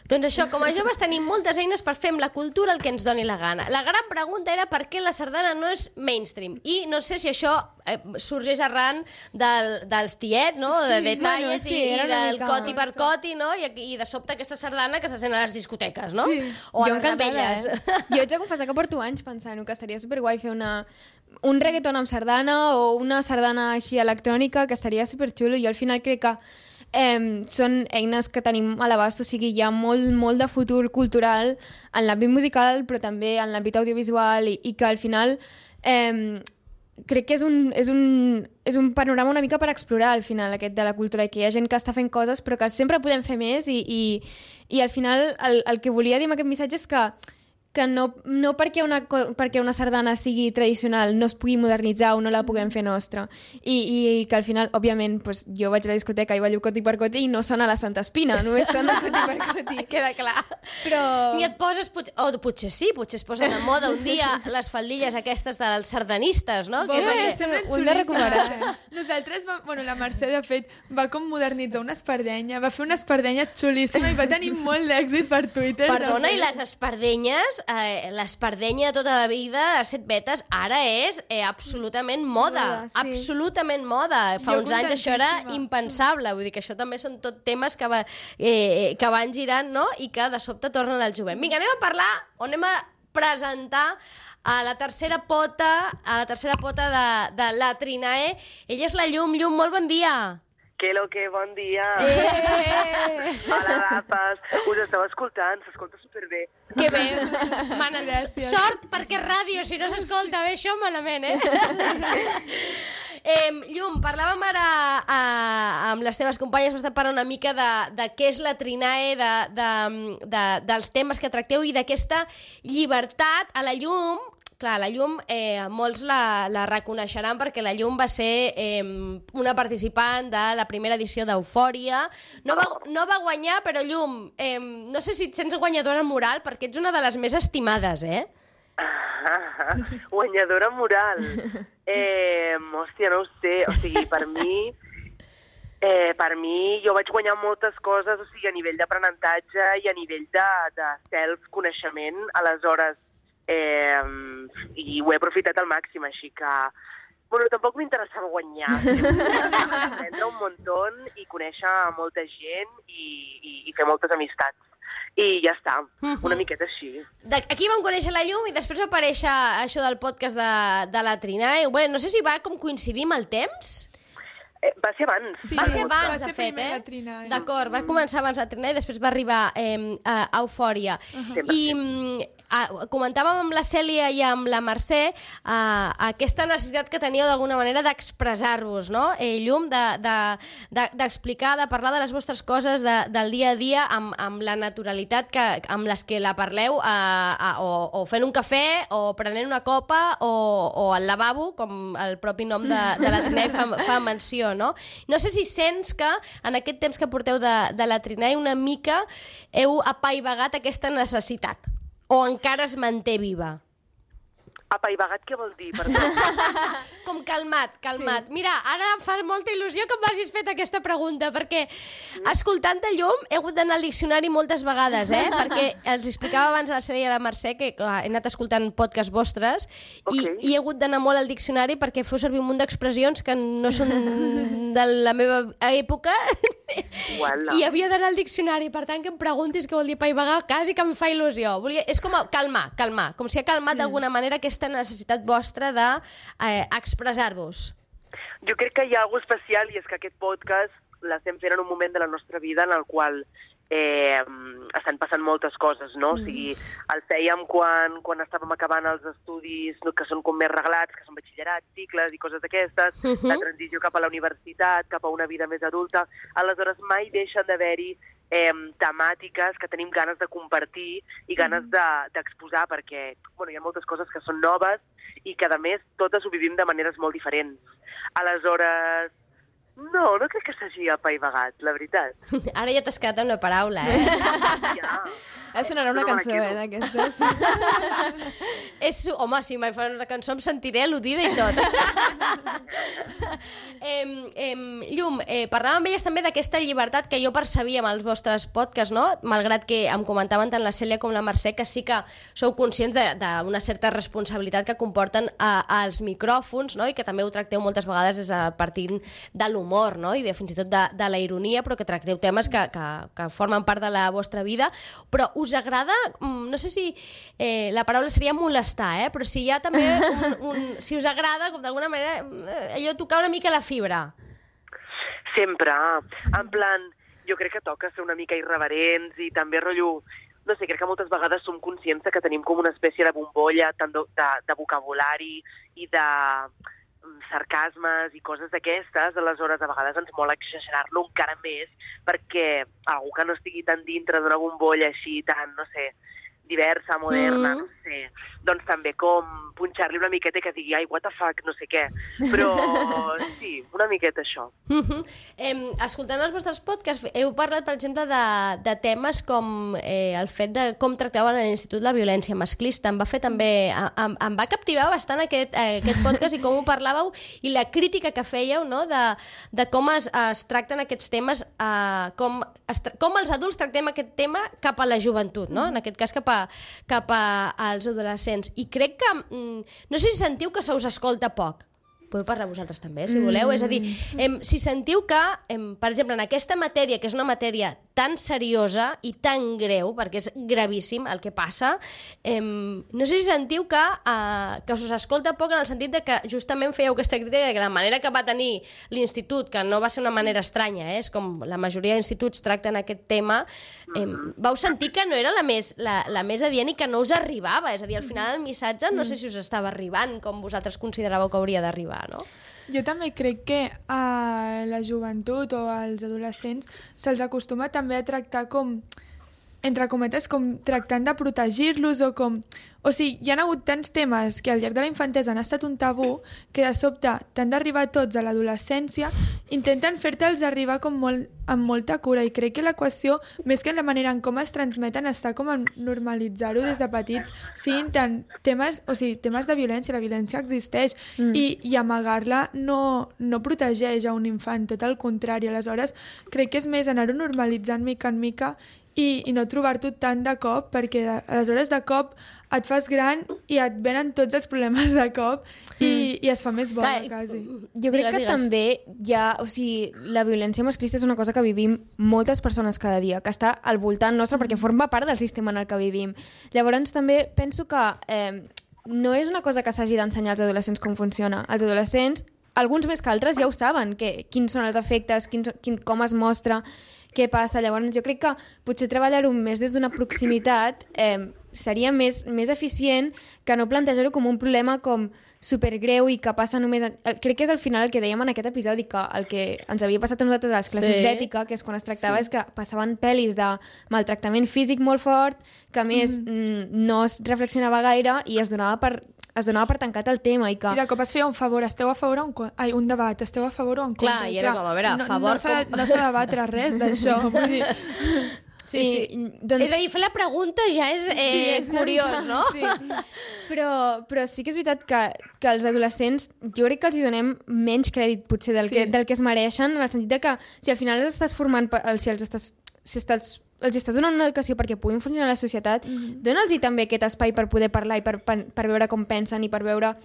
Speaker 1: Doncs això, com a joves tenim moltes eines per fer amb la cultura el que ens doni la gana. La gran pregunta era per què la sardana no és mainstream. I no sé si això eh, sorgeix arran del, dels tiets, no? Sí, de detalles bueno, sí, i, i del coti per coti, no? I, I de sobte aquesta sardana que se sent a les discoteques, no? Sí. O a jo les rebelles.
Speaker 2: Eh? Jo haig de confessar que porto anys pensant que estaria superguai fer una... un reggaeton amb sardana o una sardana així electrònica, que estaria superxulo. Jo al final crec que Eh, són eines que tenim a l'abast, o sigui, hi ha molt, molt de futur cultural en l'àmbit musical, però també en l'àmbit audiovisual i, i que al final eh, crec que és un, és, un, és un panorama una mica per explorar al final aquest de la cultura i que hi ha gent que està fent coses però que sempre podem fer més i, i, i al final el, el que volia dir amb aquest missatge és que que no, no perquè, una, perquè una sardana sigui tradicional no es pugui modernitzar o no la puguem fer nostra. I, i que al final, òbviament, pues, jo vaig a la discoteca i ballo coti per coti i no sona la Santa Espina, només sona coti per coti.
Speaker 1: Queda clar. Però... I et poses, potser, o potser sí, potser es posen de moda un dia les faldilles aquestes dels sardanistes, no?
Speaker 3: Bon,
Speaker 1: que
Speaker 3: eh, semblen xulíssimes. Nosaltres, va, bueno, la Mercè, de fet, va com modernitzar una espardenya, va fer una espardenya xulíssima i va tenir molt d'èxit per Twitter.
Speaker 1: Perdona, i les espardenyes... Eh, l'espardenya de tota la vida de set vetes ara és eh, absolutament moda, moda sí. absolutament moda. Fa jo uns anys això era impensable, vull dir que això també són tot temes que, va, eh, que van girant, no? I que de sobte tornen al jovent. Vinga, anem a parlar o anem a presentar a la tercera pota a la tercera pota de, de la Trinae. Ella és la Llum. Llum, molt bon dia.
Speaker 6: Que lo que, bon dia.
Speaker 1: Eh!
Speaker 6: Hola, rapes. Us estava escoltant, s'escolta superbé.
Speaker 1: Que bé. Man, sort perquè és ràdio, si no s'escolta bé això, malament, eh? eh Llum, parlàvem ara a, amb les teves companyes, vas parlar una mica de, de què és la Trinae, de, de, de, dels temes que tracteu i d'aquesta llibertat. A la Llum... Clar, la Llum, eh, molts la, la reconeixeran perquè la Llum va ser eh, una participant de la primera edició d'Eufòria. No va, no va guanyar, però Llum, eh, no sé si et sents guanyadora moral perquè ets una de les més estimades, eh?
Speaker 6: Ah, guanyadora moral. Eh, hòstia, no ho sé. O sigui, per mi... Eh, per mi, jo vaig guanyar moltes coses, o sigui, a nivell d'aprenentatge i a nivell de, de self-coneixement. Aleshores, Eh, i ho he aprofitat al màxim, així que... Bueno, tampoc m'interessava guanyar. Aprendre un muntó i conèixer molta gent i, i, i fer moltes amistats. I ja està, una miqueta així.
Speaker 1: Aquí vam conèixer la Llum i després va aparèixer això del podcast de, de la Trinae. Bueno, no sé si va com coincidir amb el temps...
Speaker 6: Eh, va ser abans.
Speaker 1: Sí, va ser abans, va ser de fet, eh? D'acord, va començar abans la Trinae i després va arribar eh, a Eufòria. Uh-huh. I comentàvem amb la Cèlia i amb la Mercè uh, aquesta necessitat que teníeu d'alguna manera d'expressar-vos, no? Eh, Llum, d'explicar, de, de, de parlar de les vostres coses de, del dia a dia amb, amb la naturalitat que, amb les que la parleu, uh, uh, o, o fent un cafè, o prenent una copa, o, o al lavabo, com el propi nom de, de la Trinei fa, fa menció, no? No sé si sents que en aquest temps que porteu de, de la Trinei una mica heu apaivagat aquesta necessitat, o encara es manté viva?
Speaker 6: Apaivagat què vol dir? Perdó.
Speaker 1: Com calmat, calmat. Sí. Mira, ara em fa molta il·lusió que m'hagis fet aquesta pregunta, perquè escoltant-te, Llum, he hagut d'anar al diccionari moltes vegades, eh? Perquè els explicava abans a la Cèlia i a la Mercè que clar, he anat escoltant podcasts vostres okay. i, i he hagut d'anar molt al diccionari perquè feu servir un munt d'expressions que no són de la meva època
Speaker 6: Uala.
Speaker 1: I havia d'anar al diccionari. Per tant, que em preguntis què vol dir apaivagar, quasi que em fa il·lusió. Volia... És com a calmar, calmar, com si ha calmat mm. d'alguna manera aquesta necessitat vostra d'expressar-vos. Eh,
Speaker 6: jo crec que hi ha alguna especial i és que aquest podcast l'estem fent en un moment de la nostra vida en el qual eh, estan passant moltes coses, no? Mm. O sigui, el fèiem quan, quan estàvem acabant els estudis que són com més reglats, que són batxillerats, cicles i coses d'aquestes, uh -huh. la transició cap a la universitat, cap a una vida més adulta. Aleshores, mai deixen d'haver-hi Eh, temàtiques que tenim ganes de compartir i ganes d'exposar, de, perquè bueno, hi ha moltes coses que són noves i que, a més, totes ho vivim de maneres molt diferents. Aleshores, no, no crec que s'hagi apaivagat, la veritat.
Speaker 1: Ara ja t'has quedat amb una paraula, eh?
Speaker 6: Ja.
Speaker 2: Ara sonarà una no cançó, eh, d'aquestes.
Speaker 1: És, home, si mai fa una cançó em sentiré al·ludida i tot. eh, eh, Llum, eh, parlàvem amb elles també d'aquesta llibertat que jo percebia amb els vostres podcasts, no? Malgrat que em comentaven tant la Cèlia com la Mercè que sí que sou conscients d'una certa responsabilitat que comporten a, als micròfons, no? I que també ho tracteu moltes vegades des de partint de l'humor, no? I de, fins i tot de, de la ironia, però que tracteu temes que, que, que formen part de la vostra vida. Però us agrada, no sé si eh, la paraula seria molestar, eh? Però si hi ha també un, un, si us agrada, com d'alguna manera, allò tocar una mica la fibra.
Speaker 6: Sempre. En plan, jo crec que toca ser una mica irreverents i també rotllo... No sé, crec que moltes vegades som conscients que tenim com una espècie de bombolla tant de, de, de vocabulari i de sarcasmes i coses d'aquestes, aleshores a vegades ens mola exagerar-lo encara més perquè algú que no estigui tan dintre d'una bombolla així tan, no sé, diversa, moderna, mm. no sé, doncs també com punxar-li una miqueta i que digui, ai, what the fuck, no sé què. Però sí, una miqueta això.
Speaker 1: Mm -hmm. eh, escoltant els vostres podcasts, heu parlat, per exemple, de, de temes com eh, el fet de com tractaven a l'Institut la violència masclista. Em va fer també... Em, em va captivar bastant aquest, eh, aquest podcast i com ho parlàveu i la crítica que fèieu, no?, de, de com es, es tracten aquests temes, eh, com, es, com els adults tractem aquest tema cap a la joventut, no?, en aquest cas cap a, cap a, als adolescents. I crec que... No sé si sentiu que se us escolta poc. Podeu parlar vosaltres també, si voleu. Mm. És a dir, em, si sentiu que, em, per exemple, en aquesta matèria, que és una matèria tan seriosa i tan greu, perquè és gravíssim el que passa, em, no sé si sentiu que, uh, que us escolta poc en el sentit de que justament fèieu aquesta crítica de que la manera que va tenir l'Institut, que no va ser una manera estranya, eh, és com la majoria d'instituts tracten aquest tema, em, vau sentir que no era la més, la, la més adient i que no us arribava. És a dir, al final el missatge no sé si us estava arribant com vosaltres consideràveu que hauria d'arribar. No?
Speaker 3: Jo també crec que a la joventut o als adolescents se'ls acostuma també a tractar com, entre cometes, com tractant de protegir-los o com... O sigui, hi ha hagut tants temes que al llarg de la infantesa han estat un tabú que de sobte t'han d'arribar tots a l'adolescència, intenten fer-te'ls arribar com molt, amb molta cura i crec que l'equació, més que en la manera en com es transmeten, està com en normalitzar-ho des de petits, siguin tant temes, o sigui, temes de violència, la violència existeix mm. i, i amagar-la no, no protegeix a un infant, tot el contrari. Aleshores, crec que és més anar-ho normalitzant mica en mica i, i no trobar-t'ho tant de cop, perquè de, aleshores de cop et fas gran i et venen tots els problemes de cop i, i es fa més bona, Clar, quasi.
Speaker 2: Jo crec que digues. També hi ha... O sigui, la violència masclista és una cosa que vivim moltes persones cada dia, que està al voltant nostre perquè forma part del sistema en el que vivim. Llavors també penso que eh, no és una cosa que s'hagi d'ensenyar als adolescents com funciona. Els adolescents, alguns més que altres, ja ho saben, que, quins són els efectes, quins, quin, com es mostra, què passa. Llavors jo crec que potser treballar-ho més des d'una proximitat... Eh, seria més, més eficient que no plantejar-ho com un problema com supergreu i que passa només... Crec que és al final el que dèiem en aquest episodi, que el que ens havia passat a nosaltres a les classes sí. d'ètica, que és quan es tractava, sí. és que passaven pel·lis de maltractament físic molt fort, que a més mm. no es reflexionava gaire i es donava per es donava per tancat el tema. I, que...
Speaker 3: I de cop es feia un favor, esteu a favor o en contra? Ai, un debat, esteu a favor o en contra?
Speaker 1: Clar, i era clar, com, a veure, a favor...
Speaker 3: No, no s'ha com... no de batre res d'això, vull dir...
Speaker 1: Sí, sí. I, doncs... És a dir, fer la pregunta ja és, eh, sí, és curiós, no? Sí.
Speaker 2: Però, però sí que és veritat que, que els adolescents, jo crec que els hi donem menys crèdit, potser, del, sí. que, del que es mereixen, en el sentit de que si al final els estàs formant, si els estàs, si estàs, els estàs donant una educació perquè puguin funcionar a la societat, mm-hmm. dona'ls-hi també aquest espai per poder parlar i per, per, per veure com pensen i per veure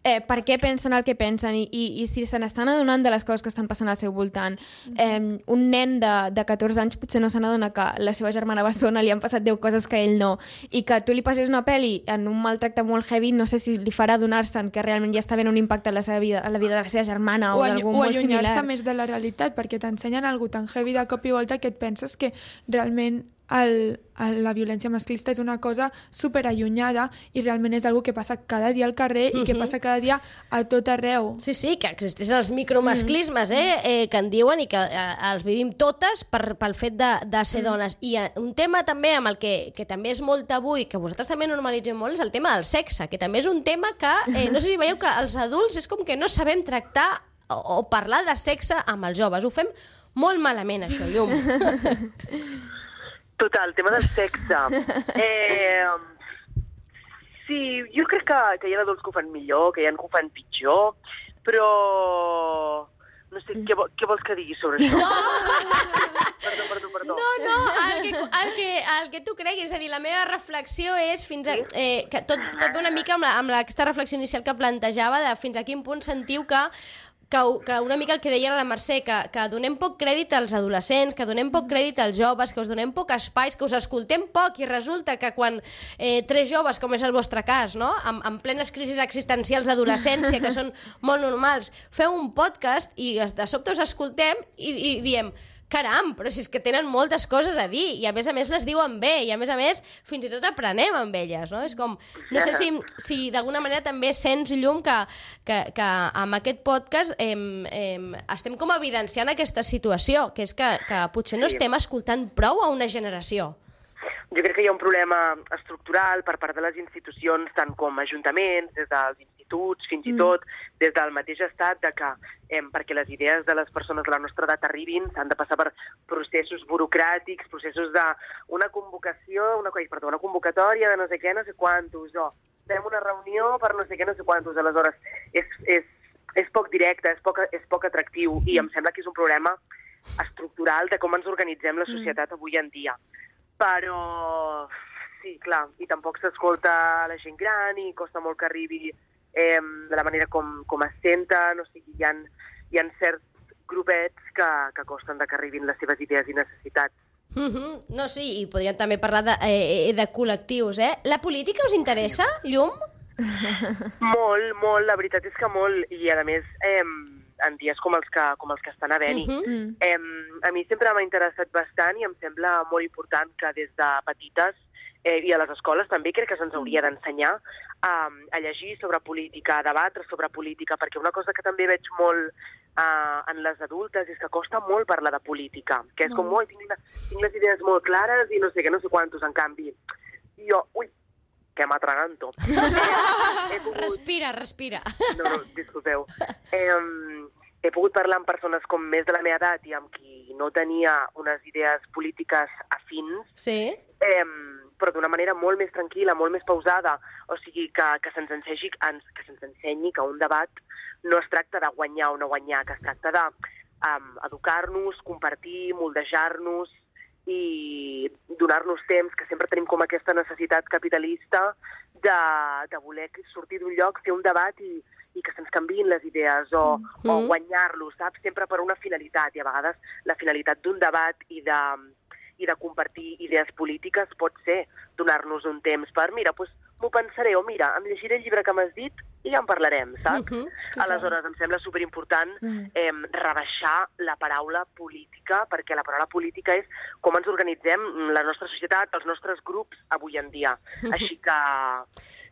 Speaker 2: eh, per què pensen el que pensen i, i, i si se n'estan adonant de les coses que estan passant al seu voltant. Mm-hmm. Eh, un nen de, de catorze anys potser no se n'adona que la seva germana bessona li han passat deu coses que ell no, i que tu li passes una pel·li en un maltracte molt heavy, no sé si li farà adonar-se'n que realment ja està havent un impacte en la seva vida, en la vida de la seva germana o, o d'algú molt similar.
Speaker 3: O allunyar-se més de la realitat, perquè t'ensenyen algo tan heavy de cop i volta que et penses que realment el, el, la violència masclista és una cosa superallunyada i realment és algo que passa cada dia al carrer uh-huh. i que passa cada dia a tot arreu.
Speaker 1: Sí, sí, que existeixen els micromasclismes, eh, eh, que en diuen i que eh, els vivim totes per, pel fet de, de ser dones. I eh, un tema també amb el que, que també és molt tabú i que vosaltres també normalitzeu molt és el tema del sexe, que també és un tema que, eh, no sé si veieu que els adults és com que no sabem tractar o, o parlar de sexe amb els joves. Ho fem molt malament, això, Llum.
Speaker 6: Total, el tema del sexe. Eh, sí, jo crec que, que hi ha adults que ho fan millor, que hi ha que ho fan pitjor, però no sé, què, què vols que digui sobre això?
Speaker 1: No!
Speaker 6: Perdó, perdó, perdó.
Speaker 1: No, no, el que, el, que, el que tu creguis, és a dir, la meva reflexió és fins a... Eh, que tot, tot ve una mica amb, la, amb aquesta reflexió inicial que plantejava de fins a quin punt sentiu que Que, que una mica el que deia la Mercè, que, que donem poc crèdit als adolescents, que donem poc crèdit als joves, que us donem poc espais, que us escoltem poc i resulta que quan eh, tres joves, com és el vostre cas, no? amb, amb plenes crisis existencials d'adolescència, que són molt normals, feu un podcast i de sobte us escoltem i, i diem caram, però si és que tenen moltes coses a dir i a més a més les diuen bé i a més a més fins i tot aprenem amb elles, no? És com, no sé si, si d'alguna manera també sents, Llum, que, que, que amb aquest podcast eh, eh, estem com evidenciant aquesta situació, que és que, que potser no estem escoltant prou a una generació.
Speaker 6: Jo crec que hi ha un problema estructural per part de les institucions, tant com ajuntaments, des dels instituts, fins i tot des del mateix estat, de que eh, perquè les idees de les persones de la nostra edat arribin s'han de passar per processos burocràtics, processos d'una convocació, una, perdó, una convocatòria de no sé què, no sé quantos, o fem una reunió per no sé què, no sé quantos. Aleshores, és, és, és poc directe, és poc, és poc atractiu i em sembla que és un problema estructural de com ens organitzem la societat avui en dia. Però, sí, clar, i tampoc s'escolta la gent gran i costa molt que arribi eh, de la manera com, com es senten, o sigui, hi ha, hi ha certs grupets que, que costen de que arribin les seves idees i necessitats.
Speaker 1: Mm-hmm. No, sí, i podríem també parlar de, eh, de col·lectius, eh? La política us interessa, Llum?
Speaker 6: Molt, molt, la veritat és que molt, i a més... Eh, en dies com els que, com els que estan havent-hi. Uh-huh. Eh, a mi sempre m'ha interessat bastant i em sembla molt important que des de petites eh, i a les escoles també crec que se'ns hauria d'ensenyar a, a llegir sobre política, a debatre sobre política, perquè una cosa que també veig molt uh, en les adultes és que costa molt parlar de política, que és com, ui, tinc, tinc les idees molt clares i no sé què, no sé quantos, en canvi. Jo, ui, que m'atraganto. Eh, pogut...
Speaker 1: Respira, respira.
Speaker 6: No, no, disculpeu. Eh, he pogut parlar amb persones com més de la meva edat i amb qui no tenia unes idees polítiques afins,
Speaker 1: sí.
Speaker 6: eh, però d'una manera molt més tranquil·la, molt més pausada. O sigui, que, que se'ns ensenyi, que se'ns ensenyi que un debat no es tracta de guanyar o no guanyar, que es tracta d'educar-nos, um, compartir, moldejar-nos, i donar-nos temps, que sempre tenim com aquesta necessitat capitalista de, de voler sortir d'un lloc, fer un debat i, i que se'ns canviïn les idees o, mm. o guanyar-los, saps? Sempre per una finalitat, i a vegades la finalitat d'un debat i de, i de compartir idees polítiques pot ser donar-nos un temps per, mira, doncs, m'ho pensaré, o mira, em llegiré el llibre que m'has dit i ja en parlarem, saps? Uh -huh, Aleshores, em sembla superimportant uh-huh. eh, rebaixar la paraula política, perquè la paraula política és com ens organitzem la nostra societat, els nostres grups avui en dia. Uh-huh. Així que...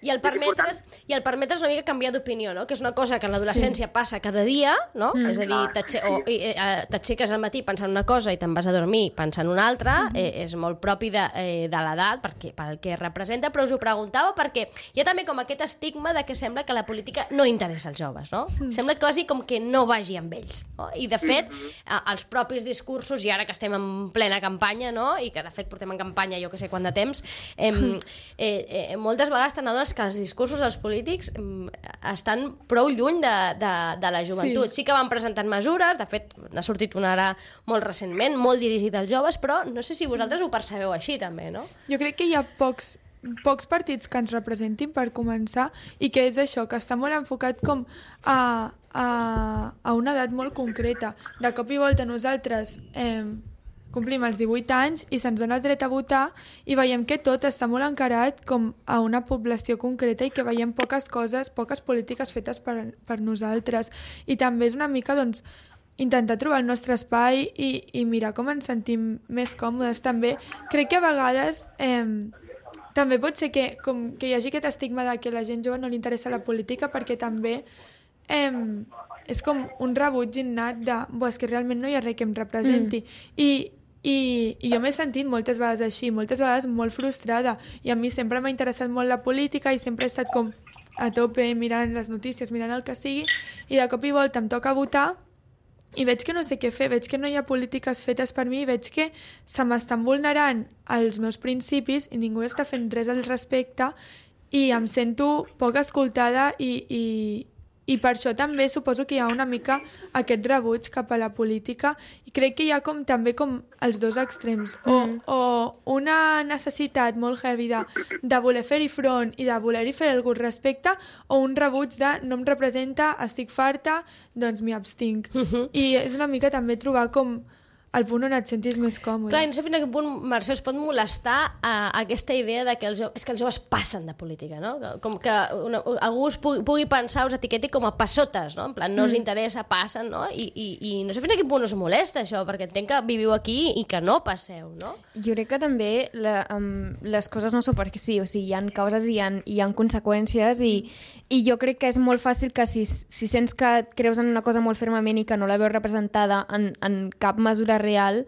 Speaker 1: I el permetre's, i el permetre's una mica canviar d'opinió, no? Que és una cosa que en l'adolescència sí. passa cada dia, no? Mm. És a dir, t'aixeques al matí pensant una cosa i te'n vas a dormir pensant una altra, mm. eh, és molt propi de, eh, de l'edat, perquè, pel que representa, però us ho preguntava perquè hi ha també com aquest estigma de que sembla que la política no interessa als joves, no? Mm. Sembla quasi com que no vagi amb ells, no? I de fet, mm-hmm. els propis discursos, i ara que estem en plena campanya, no? I que de fet portem en campanya jo que sé quant de temps, eh, eh, eh, moltes vegades t'adones que els discursos dels polítics eh, estan prou lluny de, de, de la joventut. Sí. sí que van presentant mesures, de fet n'ha sortit una ara molt recentment, molt dirigida als joves, però no sé si vosaltres ho percebeu així també, no?
Speaker 3: Jo crec que hi ha pocs pocs partits que ens representin per començar i que és això, que està molt enfocat com a, a, a una edat molt concreta. De cop i volta nosaltres eh, complim els divuit anys i se'ns dona el dret a votar i veiem que tot està molt encarat com a una població concreta i que veiem poques coses, poques polítiques fetes per, per nosaltres. I també és una mica, doncs, intentar trobar el nostre espai i, i mirar com ens sentim més còmodes. També crec que a vegades... Eh, També pot ser que, com, que hi hagi aquest estigma de que a la gent jove no li interessa la política perquè també eh, és com un rebuig innat de és que realment no hi ha res que em representi. Mm. I, i, I jo m'he sentit moltes vegades així, moltes vegades molt frustrada. I a mi sempre m'ha interessat molt la política i sempre he estat com a tope mirant les notícies, mirant el que sigui, i de cop i volta em toca votar i veig que no sé què fer, veig que no hi ha polítiques fetes per mi, veig que se m'estan vulnerant els meus principis i ningú està fent res al respecte i em sento poc escoltada i, i, i per això també suposo que hi ha una mica aquest rebuig cap a la política i crec que hi ha com, també com els dos extrems, o, mm. o una necessitat molt heavy de, de voler fer-hi front i de voler-hi fer algun respecte, o un rebuig de no em representa, estic farta, doncs m'hi abstinc. Mm-hmm. I és una mica també trobar com el punt on et sentis més còmode.
Speaker 1: Clar, no sé fins a quin punt, Mercè, us pot molestar uh, aquesta idea de que els joves, és que els joves passen de política, no? Com que una, algú us pugui, pugui pensar, us etiqueti com a passotes, no? En plan, no us interessa, passen, no? I, i, i no sé fins a quin punt us molesta això, perquè entenc que viviu aquí i que no passeu, no?
Speaker 2: Jo crec que també la, um, les coses no són perquè sí, o sigui, hi ha causes i hi ha, hi ha conseqüències i, i jo crec que és molt fàcil que si, si sents que creus en una cosa molt fermament i que no la veus representada en, en cap mesura real,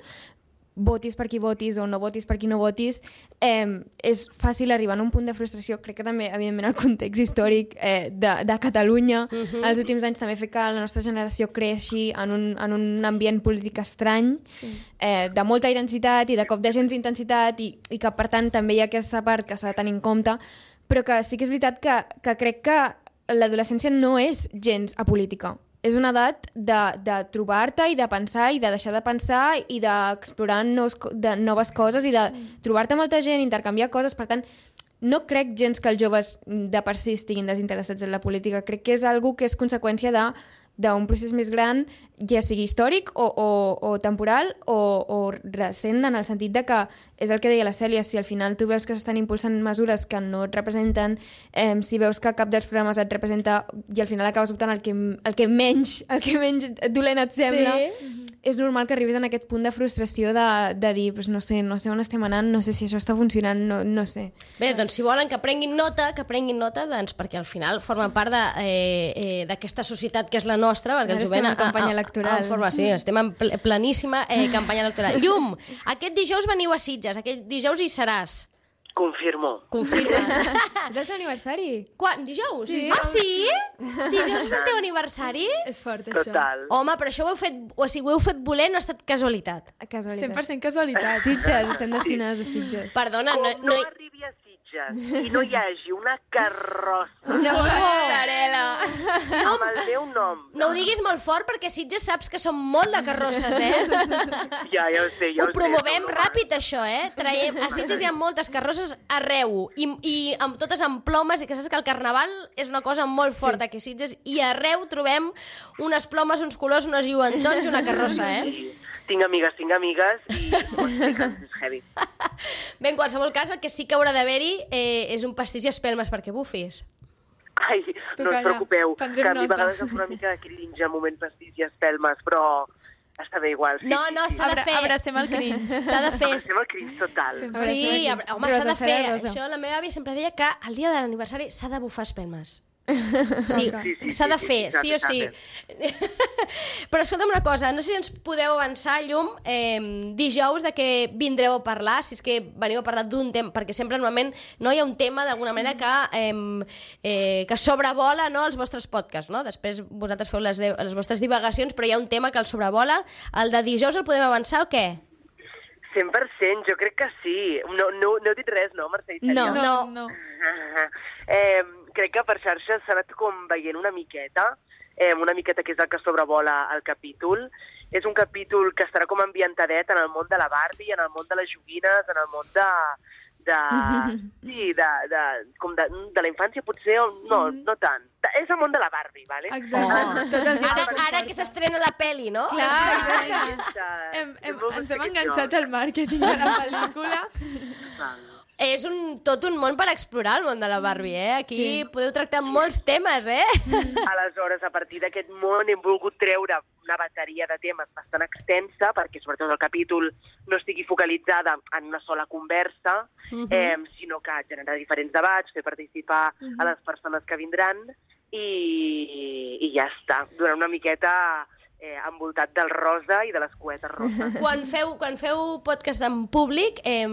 Speaker 2: votis per qui votis o no votis per qui no votis, eh, és fàcil arribar a un punt de frustració. Crec que també, evidentment, el context històric eh, de, de Catalunya uh-huh. els últims anys també fa que la nostra generació creixi en un, en un ambient polític estrany, sí. eh, de molta intensitat i de cop de gens d'intensitat i, i que, per tant, també hi ha aquesta part que s'ha de tenir en compte, però que sí que és veritat que, que crec que l'adolescència no és gens apolítica. És una edat de, de trobar-te i de pensar i de deixar de pensar i d'explorar nous, de noves coses i de trobar-te molta gent, intercanviar coses. Per tant, no crec gens que els joves de per si estiguin desinteressats en la política. Crec que és algo que és conseqüència de d'un procés més gran, ja sigui històric o, o, o temporal o, o recent, en el sentit de que és el que deia la Cèlia, si al final tu veus que s'estan impulsant mesures que no et representen, eh, si veus que cap dels programes et representa i al final acabes votant el que, el que menys el que menys dolent et sembla, sí. És normal que arribis en aquest punt de frustració de, de dir, pues no sé, no sé on estem anant, no sé si això està funcionant, no, no sé.
Speaker 1: Bé, doncs si volen que prenguin nota, que prenguin nota, doncs perquè al final formen part d'aquesta de, eh, eh, societat que és la nostra, perquè
Speaker 2: ara
Speaker 1: el jovent...
Speaker 2: estem en campanya electoral.
Speaker 1: En forma, sí, estem en pleníssima eh, campanya electoral. Llum, aquest dijous veniu a Sitges, aquest dijous hi seràs.
Speaker 6: Confirmo.
Speaker 1: Confirmes.
Speaker 2: És el teu aniversari?
Speaker 1: Quan? Dijous?
Speaker 2: Sí.
Speaker 1: Ah, sí? Dijous és el teu aniversari?
Speaker 3: És fort, això.
Speaker 6: Total.
Speaker 1: Home, però això ho heu fet, o sigui, ho heu fet voler, no ha estat casualitat.
Speaker 2: Casualitat.
Speaker 3: cent per cent casualitat.
Speaker 2: Sitges, estem destinades a Sitges.
Speaker 1: Perdona,
Speaker 6: Com
Speaker 1: no...
Speaker 6: no,
Speaker 1: no...
Speaker 6: arribi a Sitges i no hi hagi una carrossa
Speaker 2: Una passarel·la.
Speaker 6: amb el meu nom.
Speaker 1: No ho diguis molt fort perquè Sitges saps que som molt de carrosses, eh?
Speaker 6: Ja, ja ho sé, ja ho,
Speaker 1: ho promovem
Speaker 6: sé,
Speaker 1: ràpid, això, eh? Traiem... A Sitges hi ha moltes carrosses arreu, i, i amb, totes amb plomes, i que saps que el carnaval és una cosa molt forta, sí. Que a Sitges, i arreu trobem unes plomes, uns colors, unes lluentons i una carrossa, eh?
Speaker 6: tinc amigues, tinc amigues, i és heavy.
Speaker 1: Bé, en qualsevol cas, el que sí que haurà d'haver-hi eh, és un pastís i espelmes perquè bufis.
Speaker 6: Ai, no us preocupeu, que a mi a vegades em fa una mica de cringe al moment pastís i espelmes, però està bé igual. Sí,
Speaker 1: no, no, s'ha de fer.
Speaker 3: Abracem el cringe.
Speaker 1: S'ha de fer.
Speaker 6: Abracem el cringe total.
Speaker 1: Sí, home, s'ha de fer. Això, la meva àvia sempre deia que el dia de l'aniversari s'ha de bufar espelmes. Sí, s'ha de fer, sí o sí. Però escolta'm una cosa, no sé si ens podeu avançar, Llum, eh, dijous de què vindreu a parlar, si és que veniu a parlar d'un tema, perquè sempre normalment no hi ha un tema d'alguna manera que, eh, eh, que sobrevola, no, els vostres podcasts, no? Després vosaltres feu les, de, les vostres divagacions, però hi ha un tema que el sobrevola. El de dijous el podem avançar o què?
Speaker 6: cent per cent, jo crec que sí. No, no, no heu dit res, no, Mercè?
Speaker 1: No, no.
Speaker 3: no.
Speaker 6: eh, crec que per xarxes s'ha anat com veient una miqueta, eh, una miqueta que és el que sobrevola el capítol. És un capítol que estarà com ambientadet en el món de la Barbie, en el món de les joguines, en el món de... de sí, de, de, com de, de la infància potser, o, no, no tant. És el món de la Barbie, vale?
Speaker 3: Exacte.
Speaker 6: Oh.
Speaker 3: Tot el que
Speaker 1: ara, ara que s'estrena la peli, no?
Speaker 3: Clar, hem, hem, ens hem enganxat al màrqueting de la pel·lícula.
Speaker 1: És un, tot un món per explorar, el món de la Barbie, eh? Aquí sí. Podeu tractar molts temes, eh?
Speaker 6: Aleshores, a partir d'aquest món hem volgut treure una bateria de temes bastant extensa, perquè sobretot el capítol no estigui focalitzada en una sola conversa, uh-huh. eh, sinó que generar diferents debats, fer participar uh-huh. a les persones que vindran, i, i ja està. Durant una miqueta... Eh, envoltat del rosa i de les cuetes roses.
Speaker 1: Quan feu, quan feu podcast en públic, eh,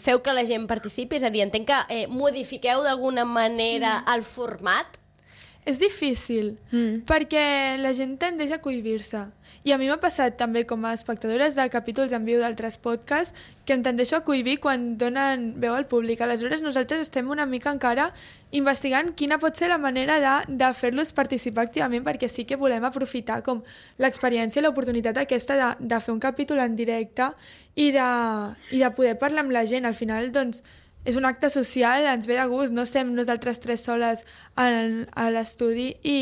Speaker 1: feu que la gent participi? És a dir, entenc que eh, modifiqueu d'alguna manera mm. el format?
Speaker 3: És difícil, mm. perquè la gent tendeix a cohibir-se. I a mi m'ha passat també com a espectadores de capítols en viu d'altres podcasts que em tendeixo a cohibir quan donen veu al públic. Aleshores nosaltres estem una mica encara investigant quina pot ser la manera de, de fer-los participar activament, perquè sí que volem aprofitar com l'experiència i l'oportunitat aquesta de, de fer un capítol en directe i de, i de poder parlar amb la gent. Al final, doncs, és un acte social, ens ve de gust, no estem nosaltres tres soles en, a l'estudi i,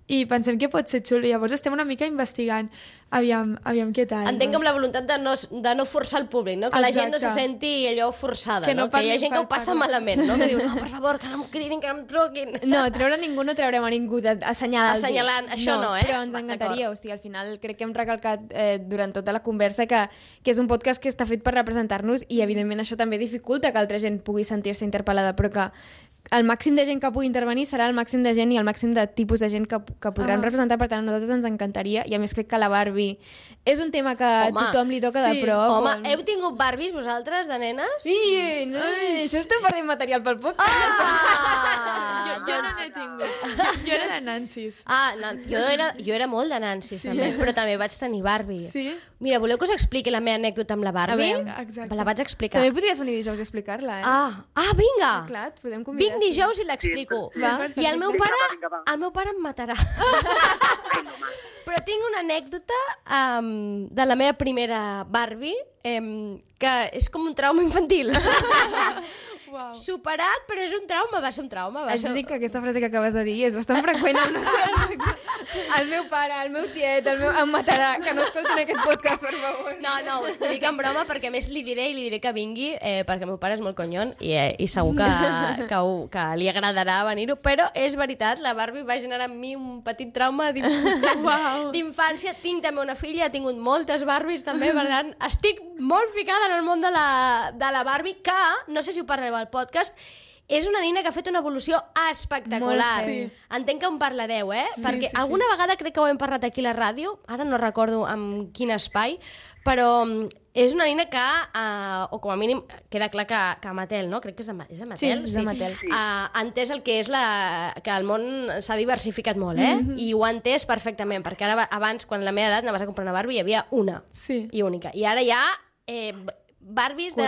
Speaker 3: i pensem que pot ser xulo. Llavors estem una mica investigant aviam, aviam què tal.
Speaker 1: Entenc que amb la voluntat de no, de no forçar el públic, no? Que Exacte. La gent no se senti allò forçada, que, no no? Que hi ha gent que ho passa parlar. malament, no? Que diu, no, per favor, que no em cridin, que no em truquin.
Speaker 2: No, treure ningú no treurem a ningú assenyalant.
Speaker 1: Assenyalant, això no, no, eh?
Speaker 2: Però ens encantaria, o sigui, al final crec que hem recalcat eh, durant tota la conversa que, que és un podcast que està fet per representar-nos i evidentment això també dificulta que altra gent pugui sentir-se interpel·lada, però que el màxim de gent que pugui intervenir serà el màxim de gent i el màxim de tipus de gent que, que podran ah. representar, per tant a nosaltres ens encantaria, i a més crec que la Barbie és un tema que a tothom li toca sí. de prop.
Speaker 1: Home, on... heu tingut Barbies vosaltres, de nenes?
Speaker 2: Sí, no, això estem perdent material pel podcast.
Speaker 3: Ah! jo, jo no n'he tingut. Jo, jo era de Nancy's.
Speaker 1: Ah, no, jo, era, jo era molt de Nancy's, sí. també, però també vaig tenir Barbie.
Speaker 3: Sí?
Speaker 1: Mira, voleu que us expliqui la meva anècdota amb la Barbie?
Speaker 3: Exacte.
Speaker 1: Me la vaig explicar.
Speaker 2: També podries venir dijous a explicar-la, eh?
Speaker 1: Ah, ah vinga!
Speaker 2: Ah, clar, et podem convidar.
Speaker 1: Vinc dijous i l'explico.
Speaker 6: Sí,
Speaker 1: va? I el meu pare,
Speaker 6: vinga, va.
Speaker 1: el meu pare em matarà. Però tinc una anècdota um, de la meva primera Barbie um, que és com un trauma infantil.
Speaker 3: Wow.
Speaker 1: Superat, però és un trauma, va ser un trauma. Va
Speaker 2: Haig
Speaker 1: ser...
Speaker 2: de dir que aquesta frase que acabes de dir és bastant freqüent al nostre... El meu pare, el meu tiet, el meu... em matarà, que no escoltin aquest podcast, per favor.
Speaker 1: No, no, ho dic en broma perquè a més li diré i li diré que vingui eh, perquè el meu pare és molt conyon i, eh, i segur que, que, ho, que li agradarà venir-ho, però és veritat, la Barbie va generar en mi un petit trauma d'infància. Wow. Tinc també una filla, he tingut moltes Barbies també, per tant, estic molt ficada en el món de la, de la Barbie, que, no sé si ho parlareu al podcast, és una nina que ha fet una evolució espectacular.
Speaker 3: Molt, sí.
Speaker 1: Entenc que en parlareu, eh?
Speaker 3: Sí,
Speaker 1: perquè
Speaker 3: sí,
Speaker 1: alguna
Speaker 3: sí.
Speaker 1: vegada crec que ho hem parlat aquí a la ràdio, ara no recordo en quin espai, però és una nina que, uh, o com a mínim, queda clar que, que Mattel, no? Crec que és de, és de Mattel.
Speaker 2: Sí, és de Mattel.
Speaker 1: Sí. Uh, ha entès el que és la, que el món s'ha diversificat molt, eh? Mm-hmm. I ho ha entès perfectament, perquè ara abans, quan a la meva edat anaves a comprar una Barbie, hi havia una
Speaker 3: sí.
Speaker 1: i única. I ara ja... Eh, Barbies de,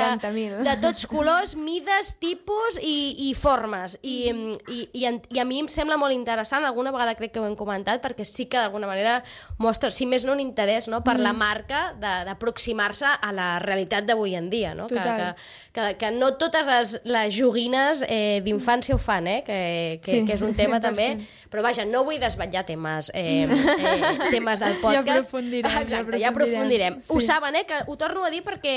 Speaker 1: de tots colors, mides, tipus i, i formes. I, i, i, I a mi em sembla molt interessant, alguna vegada crec que ho hem comentat, perquè sí que d'alguna manera mostra, si més no, un interès, no?, per mm. la marca d'aproximar-se a la realitat d'avui en dia, no? Que, que, que, que no totes les, les joguines eh, d'infància ho fan, eh? que, que, sí, que és un tema cent per cent. També, però vaja, no vull desvetllar temes, eh, eh, temes del podcast.
Speaker 3: Ja aprofundirem.
Speaker 1: Exacte, ja aprofundirem.
Speaker 3: Ja aprofundirem.
Speaker 1: Sí. Ho saben, eh? Que ho torno a dir perquè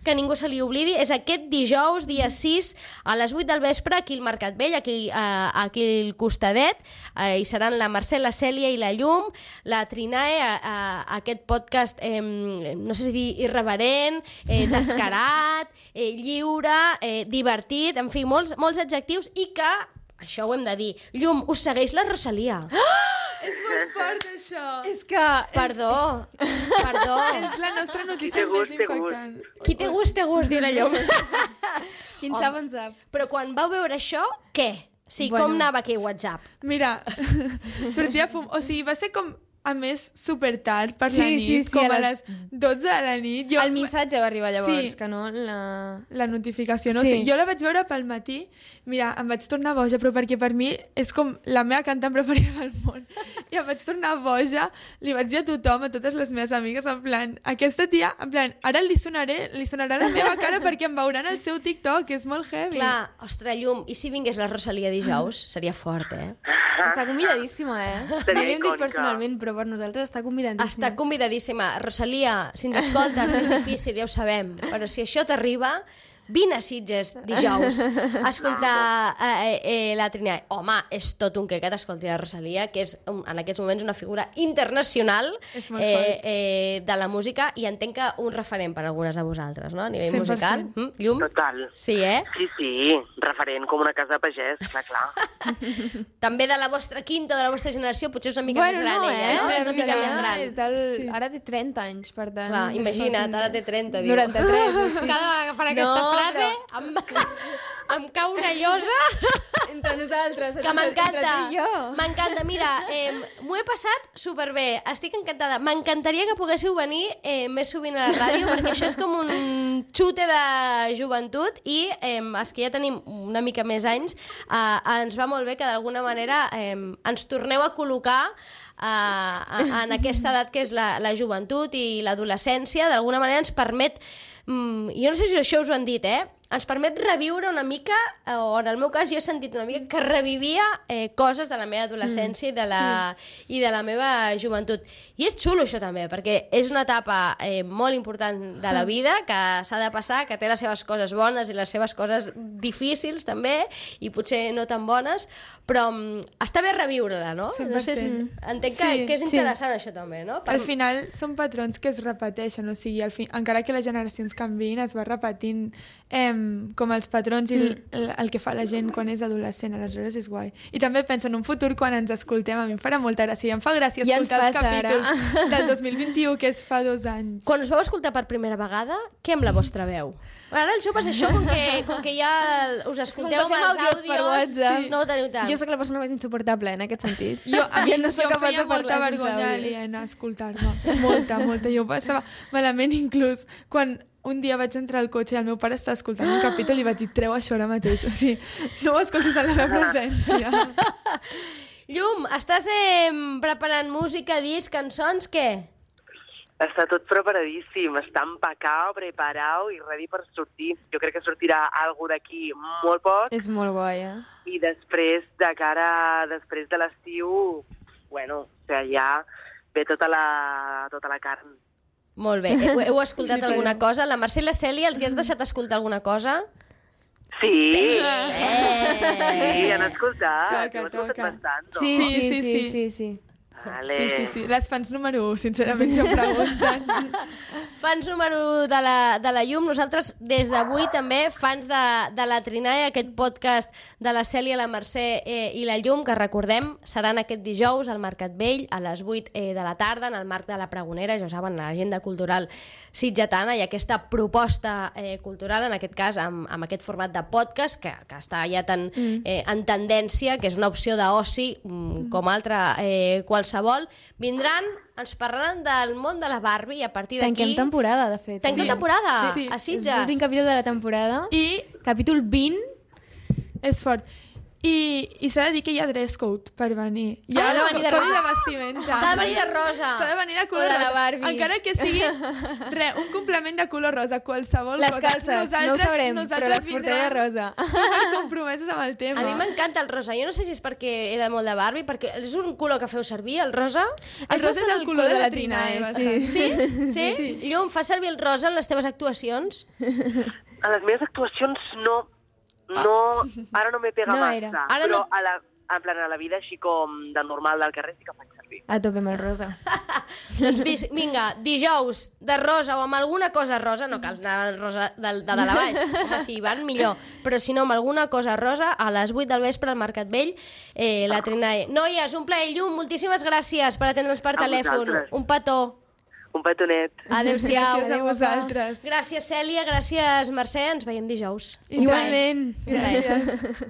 Speaker 1: que ningú se li oblidi, és aquest dijous, dia sis, a les vuit del vespre, aquí al Mercat Vell, aquí, uh, aquí al costadet, uh, hi seran la Mercè, la Cèlia i la Llum, la Trinae, uh, uh, aquest podcast, eh, no sé si dir irreverent, eh, descarat, eh, lliure, eh, divertit, en fi, molts, molts adjectius, i que, això ho hem de dir, Llum, us segueix la Rosalia.
Speaker 3: Ah! És molt fort, això.
Speaker 2: És que...
Speaker 1: Perdó, perdó.
Speaker 3: És la nostra notícia més impactant.
Speaker 1: Qui té gust, té gust, diu la Llum.
Speaker 2: Qui en sap, en sap.
Speaker 1: Però quan vau veure això, què? Sí, bueno. Com anava aquí WhatsApp?
Speaker 3: Mira, sortia fum... O sigui, va ser com... A més, super tard per
Speaker 2: sí,
Speaker 3: la nit,
Speaker 2: sí, sí,
Speaker 3: com a les dotze de la nit.
Speaker 2: Jo... El missatge va arribar llavors,
Speaker 3: sí,
Speaker 2: que no la...
Speaker 3: La notificació, no?
Speaker 2: Sí.
Speaker 3: O sigui, jo la vaig veure pel matí, mira, em vaig tornar boja, però perquè per mi és com la meva cantant preferida del món. I em vaig tornar boja, li vaig dir a tothom, a totes les meves amigues, en plan, aquesta tia, en plan, ara li sonaré, li sonarà la meva cara perquè em veuran al seu TikTok, que és molt heavy.
Speaker 1: Clar, ostres, Llum, i si vingués la Rosalia dijous? Seria fort, eh?
Speaker 2: Està convidadíssima, eh?
Speaker 6: Seria
Speaker 2: no li hem dit
Speaker 6: icònica.
Speaker 2: personalment, però per nosaltres està convidadíssima.
Speaker 1: Està convidadíssima. Rosalia, si ens escoltes, és difícil, ja ho sabem, però si això t'arriba, vine a Sitges dijous a escoltar eh, eh, la Trinae. Home, és tot un quequet escoltar la Rosalia, que és en aquests moments una figura internacional eh, eh, de la música, i entenc que un referent per a algunes de vosaltres, no? A nivell
Speaker 3: cent per cent.
Speaker 1: musical. Mm? Llum?
Speaker 6: Total.
Speaker 1: Sí, eh?
Speaker 6: Sí, sí, referent com una casa de pagès, clar, clar.
Speaker 1: També de la vostra quinta, de la vostra generació, potser és una mica
Speaker 2: bueno,
Speaker 1: més gran,
Speaker 2: no,
Speaker 1: ella,
Speaker 2: eh?
Speaker 1: no?
Speaker 2: És,
Speaker 1: És una mica més gran.
Speaker 2: És del...
Speaker 3: Sí.
Speaker 2: Ara té trenta anys, per tant...
Speaker 1: Clar, imagina't, ara té trenta, diu.
Speaker 2: noranta-tres, sí.
Speaker 1: Cada vegada que farà aquesta
Speaker 2: No,
Speaker 1: frase
Speaker 2: però-
Speaker 1: em, em cau una llosa
Speaker 2: Entre nosaltres,
Speaker 1: que m'encanta.
Speaker 2: entre tu i jo.
Speaker 1: M'encanta, mira, eh, m'ho he passat superbé, estic encantada. M'encantaria que poguéssiu venir eh, més sovint a la ràdio, perquè això és com un xute de joventut, i eh, els que ja tenim una mica més anys, eh, ens va molt bé que d'alguna manera eh, ens torneu a col·locar Uh, en aquesta edat que és la, la joventut i l'adolescència. D'alguna manera ens permet, um, jo no sé si això us ho han dit, eh? ens permet reviure una mica, o en el meu cas jo he sentit una mica que revivia eh, coses de la meva adolescència mm, i, de la, sí. i de la meva joventut. I és xulo això també, perquè és una etapa eh, molt important de la vida, que s'ha de passar, que té les seves coses bones i les seves coses difícils també, i potser no tan bones, però um, està bé reviure-la, no?
Speaker 3: cent per cent.
Speaker 1: No sé si, entenc que,
Speaker 3: sí,
Speaker 1: que és interessant
Speaker 3: sí.
Speaker 1: això també, no?
Speaker 3: Per... Al final són patrons que es repeteixen, o sigui, al fi... encara que les generacions canviïn, es va repetint eh, com els patrons i el, el, el que fa la gent quan és adolescent, aleshores és guai. I també penso en un futur quan ens escoltem, a mi em farà molta gràcia, em fa gràcia
Speaker 2: ja
Speaker 3: escoltar els
Speaker 2: passa,
Speaker 3: capítols
Speaker 2: ara.
Speaker 3: del dos mil vint-i-u, que és fa dos anys.
Speaker 1: Quan us vau escoltar per primera vegada, què amb la vostra veu? Ara els joves això, com que, com que ja us escolteu amb els àudios,
Speaker 2: per WhatsApp.
Speaker 1: sí, no ho teniu tant.
Speaker 2: Jo sóc la persona més insuportable en aquest sentit.
Speaker 3: Jo, a mi,
Speaker 2: jo no
Speaker 3: jo
Speaker 2: soc
Speaker 3: em feia molta
Speaker 2: sense
Speaker 3: vergonya
Speaker 2: àudios.
Speaker 3: aliena escoltar-me. Molta, molta. Jo passava malament inclús quan un dia vaig entrar al cotxe i el meu pare estava escoltant un capítol i vaig dir, treu això ara mateix. O sigui, no ho escoltis en la meva presència.
Speaker 1: Llum, estàs eh, preparant música, disc, cançons, què?
Speaker 6: Està tot preparadíssim, està empacat, preparat i ready per sortir. Jo crec que sortirà alguna d'aquí molt poc.
Speaker 2: És molt guai, eh?
Speaker 6: I després, de cara, després de l'estiu, bueno, o sigui, ja ve tota la, tota la carn.
Speaker 1: Molt bé. Heu, heu escoltat sí, alguna cosa? La Mercè i la Cèlia, els hi has deixat escoltar alguna cosa?
Speaker 6: Sí,
Speaker 1: sí,
Speaker 6: eh. sí, han escoltat.
Speaker 3: Toca,
Speaker 6: Ho escoltat
Speaker 3: toca.
Speaker 6: bastant, no?
Speaker 2: Sí, sí, sí, sí, sí, sí, sí.
Speaker 6: Vale.
Speaker 3: Sí, sí, sí. Les fans número u, sincerament, si em pregunten.
Speaker 1: Fans número u de la, de la Llum. Nosaltres, des d'avui, també, fans de, de la Trinae, aquest podcast de la Cèlia, la Mercè eh, i la Llum, que recordem, seran aquest dijous al Mercat Vell, a les vuit eh, de la tarda, en el marc de la Pregonera, ja ho saben, l'agenda cultural sitgetana, i aquesta proposta eh, cultural, en aquest cas, amb, amb aquest format de podcast, que, que està ja tan eh, en tendència, que és una opció d'oci, mm, com altra eh, qualsevol. Vindran ens parlaran del món de la Barbie i a partir d'aquí...
Speaker 2: Tanquem temporada, de fet.
Speaker 1: Tanquem
Speaker 2: sí.
Speaker 1: temporada?
Speaker 3: Sí, sí.
Speaker 1: A Sitges?
Speaker 2: És l'últim capítol de la temporada.
Speaker 3: I...
Speaker 2: Capítol vint.
Speaker 3: És fort. I, i s'ha de dir que hi ha dress code per venir. Hi ha
Speaker 2: ah, de venir de rosa.
Speaker 3: de vestimenta.
Speaker 1: S'ha de venir de rosa.
Speaker 3: S'ha de venir de color
Speaker 2: de
Speaker 3: rosa.
Speaker 2: la Barbie.
Speaker 3: Encara que sigui re, un complement de color rosa, qualsevol
Speaker 2: les
Speaker 3: cosa.
Speaker 2: calces,
Speaker 3: nosaltres,
Speaker 2: no ho sabrem,
Speaker 3: nosaltres
Speaker 2: però les portaré de rosa.
Speaker 3: Super compromeses amb el tema.
Speaker 1: A mi m'encanta el rosa. Jo no sé si és perquè era molt de Barbie, perquè és un color que feu servir, el rosa.
Speaker 3: El rosa és el color de la Trinae.
Speaker 1: Sí? Sí? sí?
Speaker 3: sí.
Speaker 1: Llum, fas servir el rosa en les teves actuacions?
Speaker 6: A les meves actuacions no. No, ara no me pega
Speaker 2: No
Speaker 6: massa,
Speaker 2: era.
Speaker 1: Ara
Speaker 6: però
Speaker 1: no-
Speaker 6: a la, en plan, a la vida així com de normal del carrer sí que faig servir.
Speaker 2: A tope amb el rosa.
Speaker 1: Doncs vis- vinga, dijous de rosa o amb alguna cosa rosa, no cal anar al rosa de, de dalt a baix, home, si van millor, però si no amb alguna cosa rosa, a les vuit del vespre al Mercat Vell, eh, la Trinae. Noies, un plaer, Llum, moltíssimes gràcies per atendre'ns per
Speaker 6: A
Speaker 1: telèfon.
Speaker 6: vosaltres.
Speaker 1: Un petó.
Speaker 6: Un petonet.
Speaker 1: Adéu-siau.
Speaker 3: Gràcies a vosaltres.
Speaker 1: Gràcies, Cèlia, gràcies, Mercè, ens veiem dijous.
Speaker 3: I
Speaker 2: Igualment.
Speaker 3: Gràcies.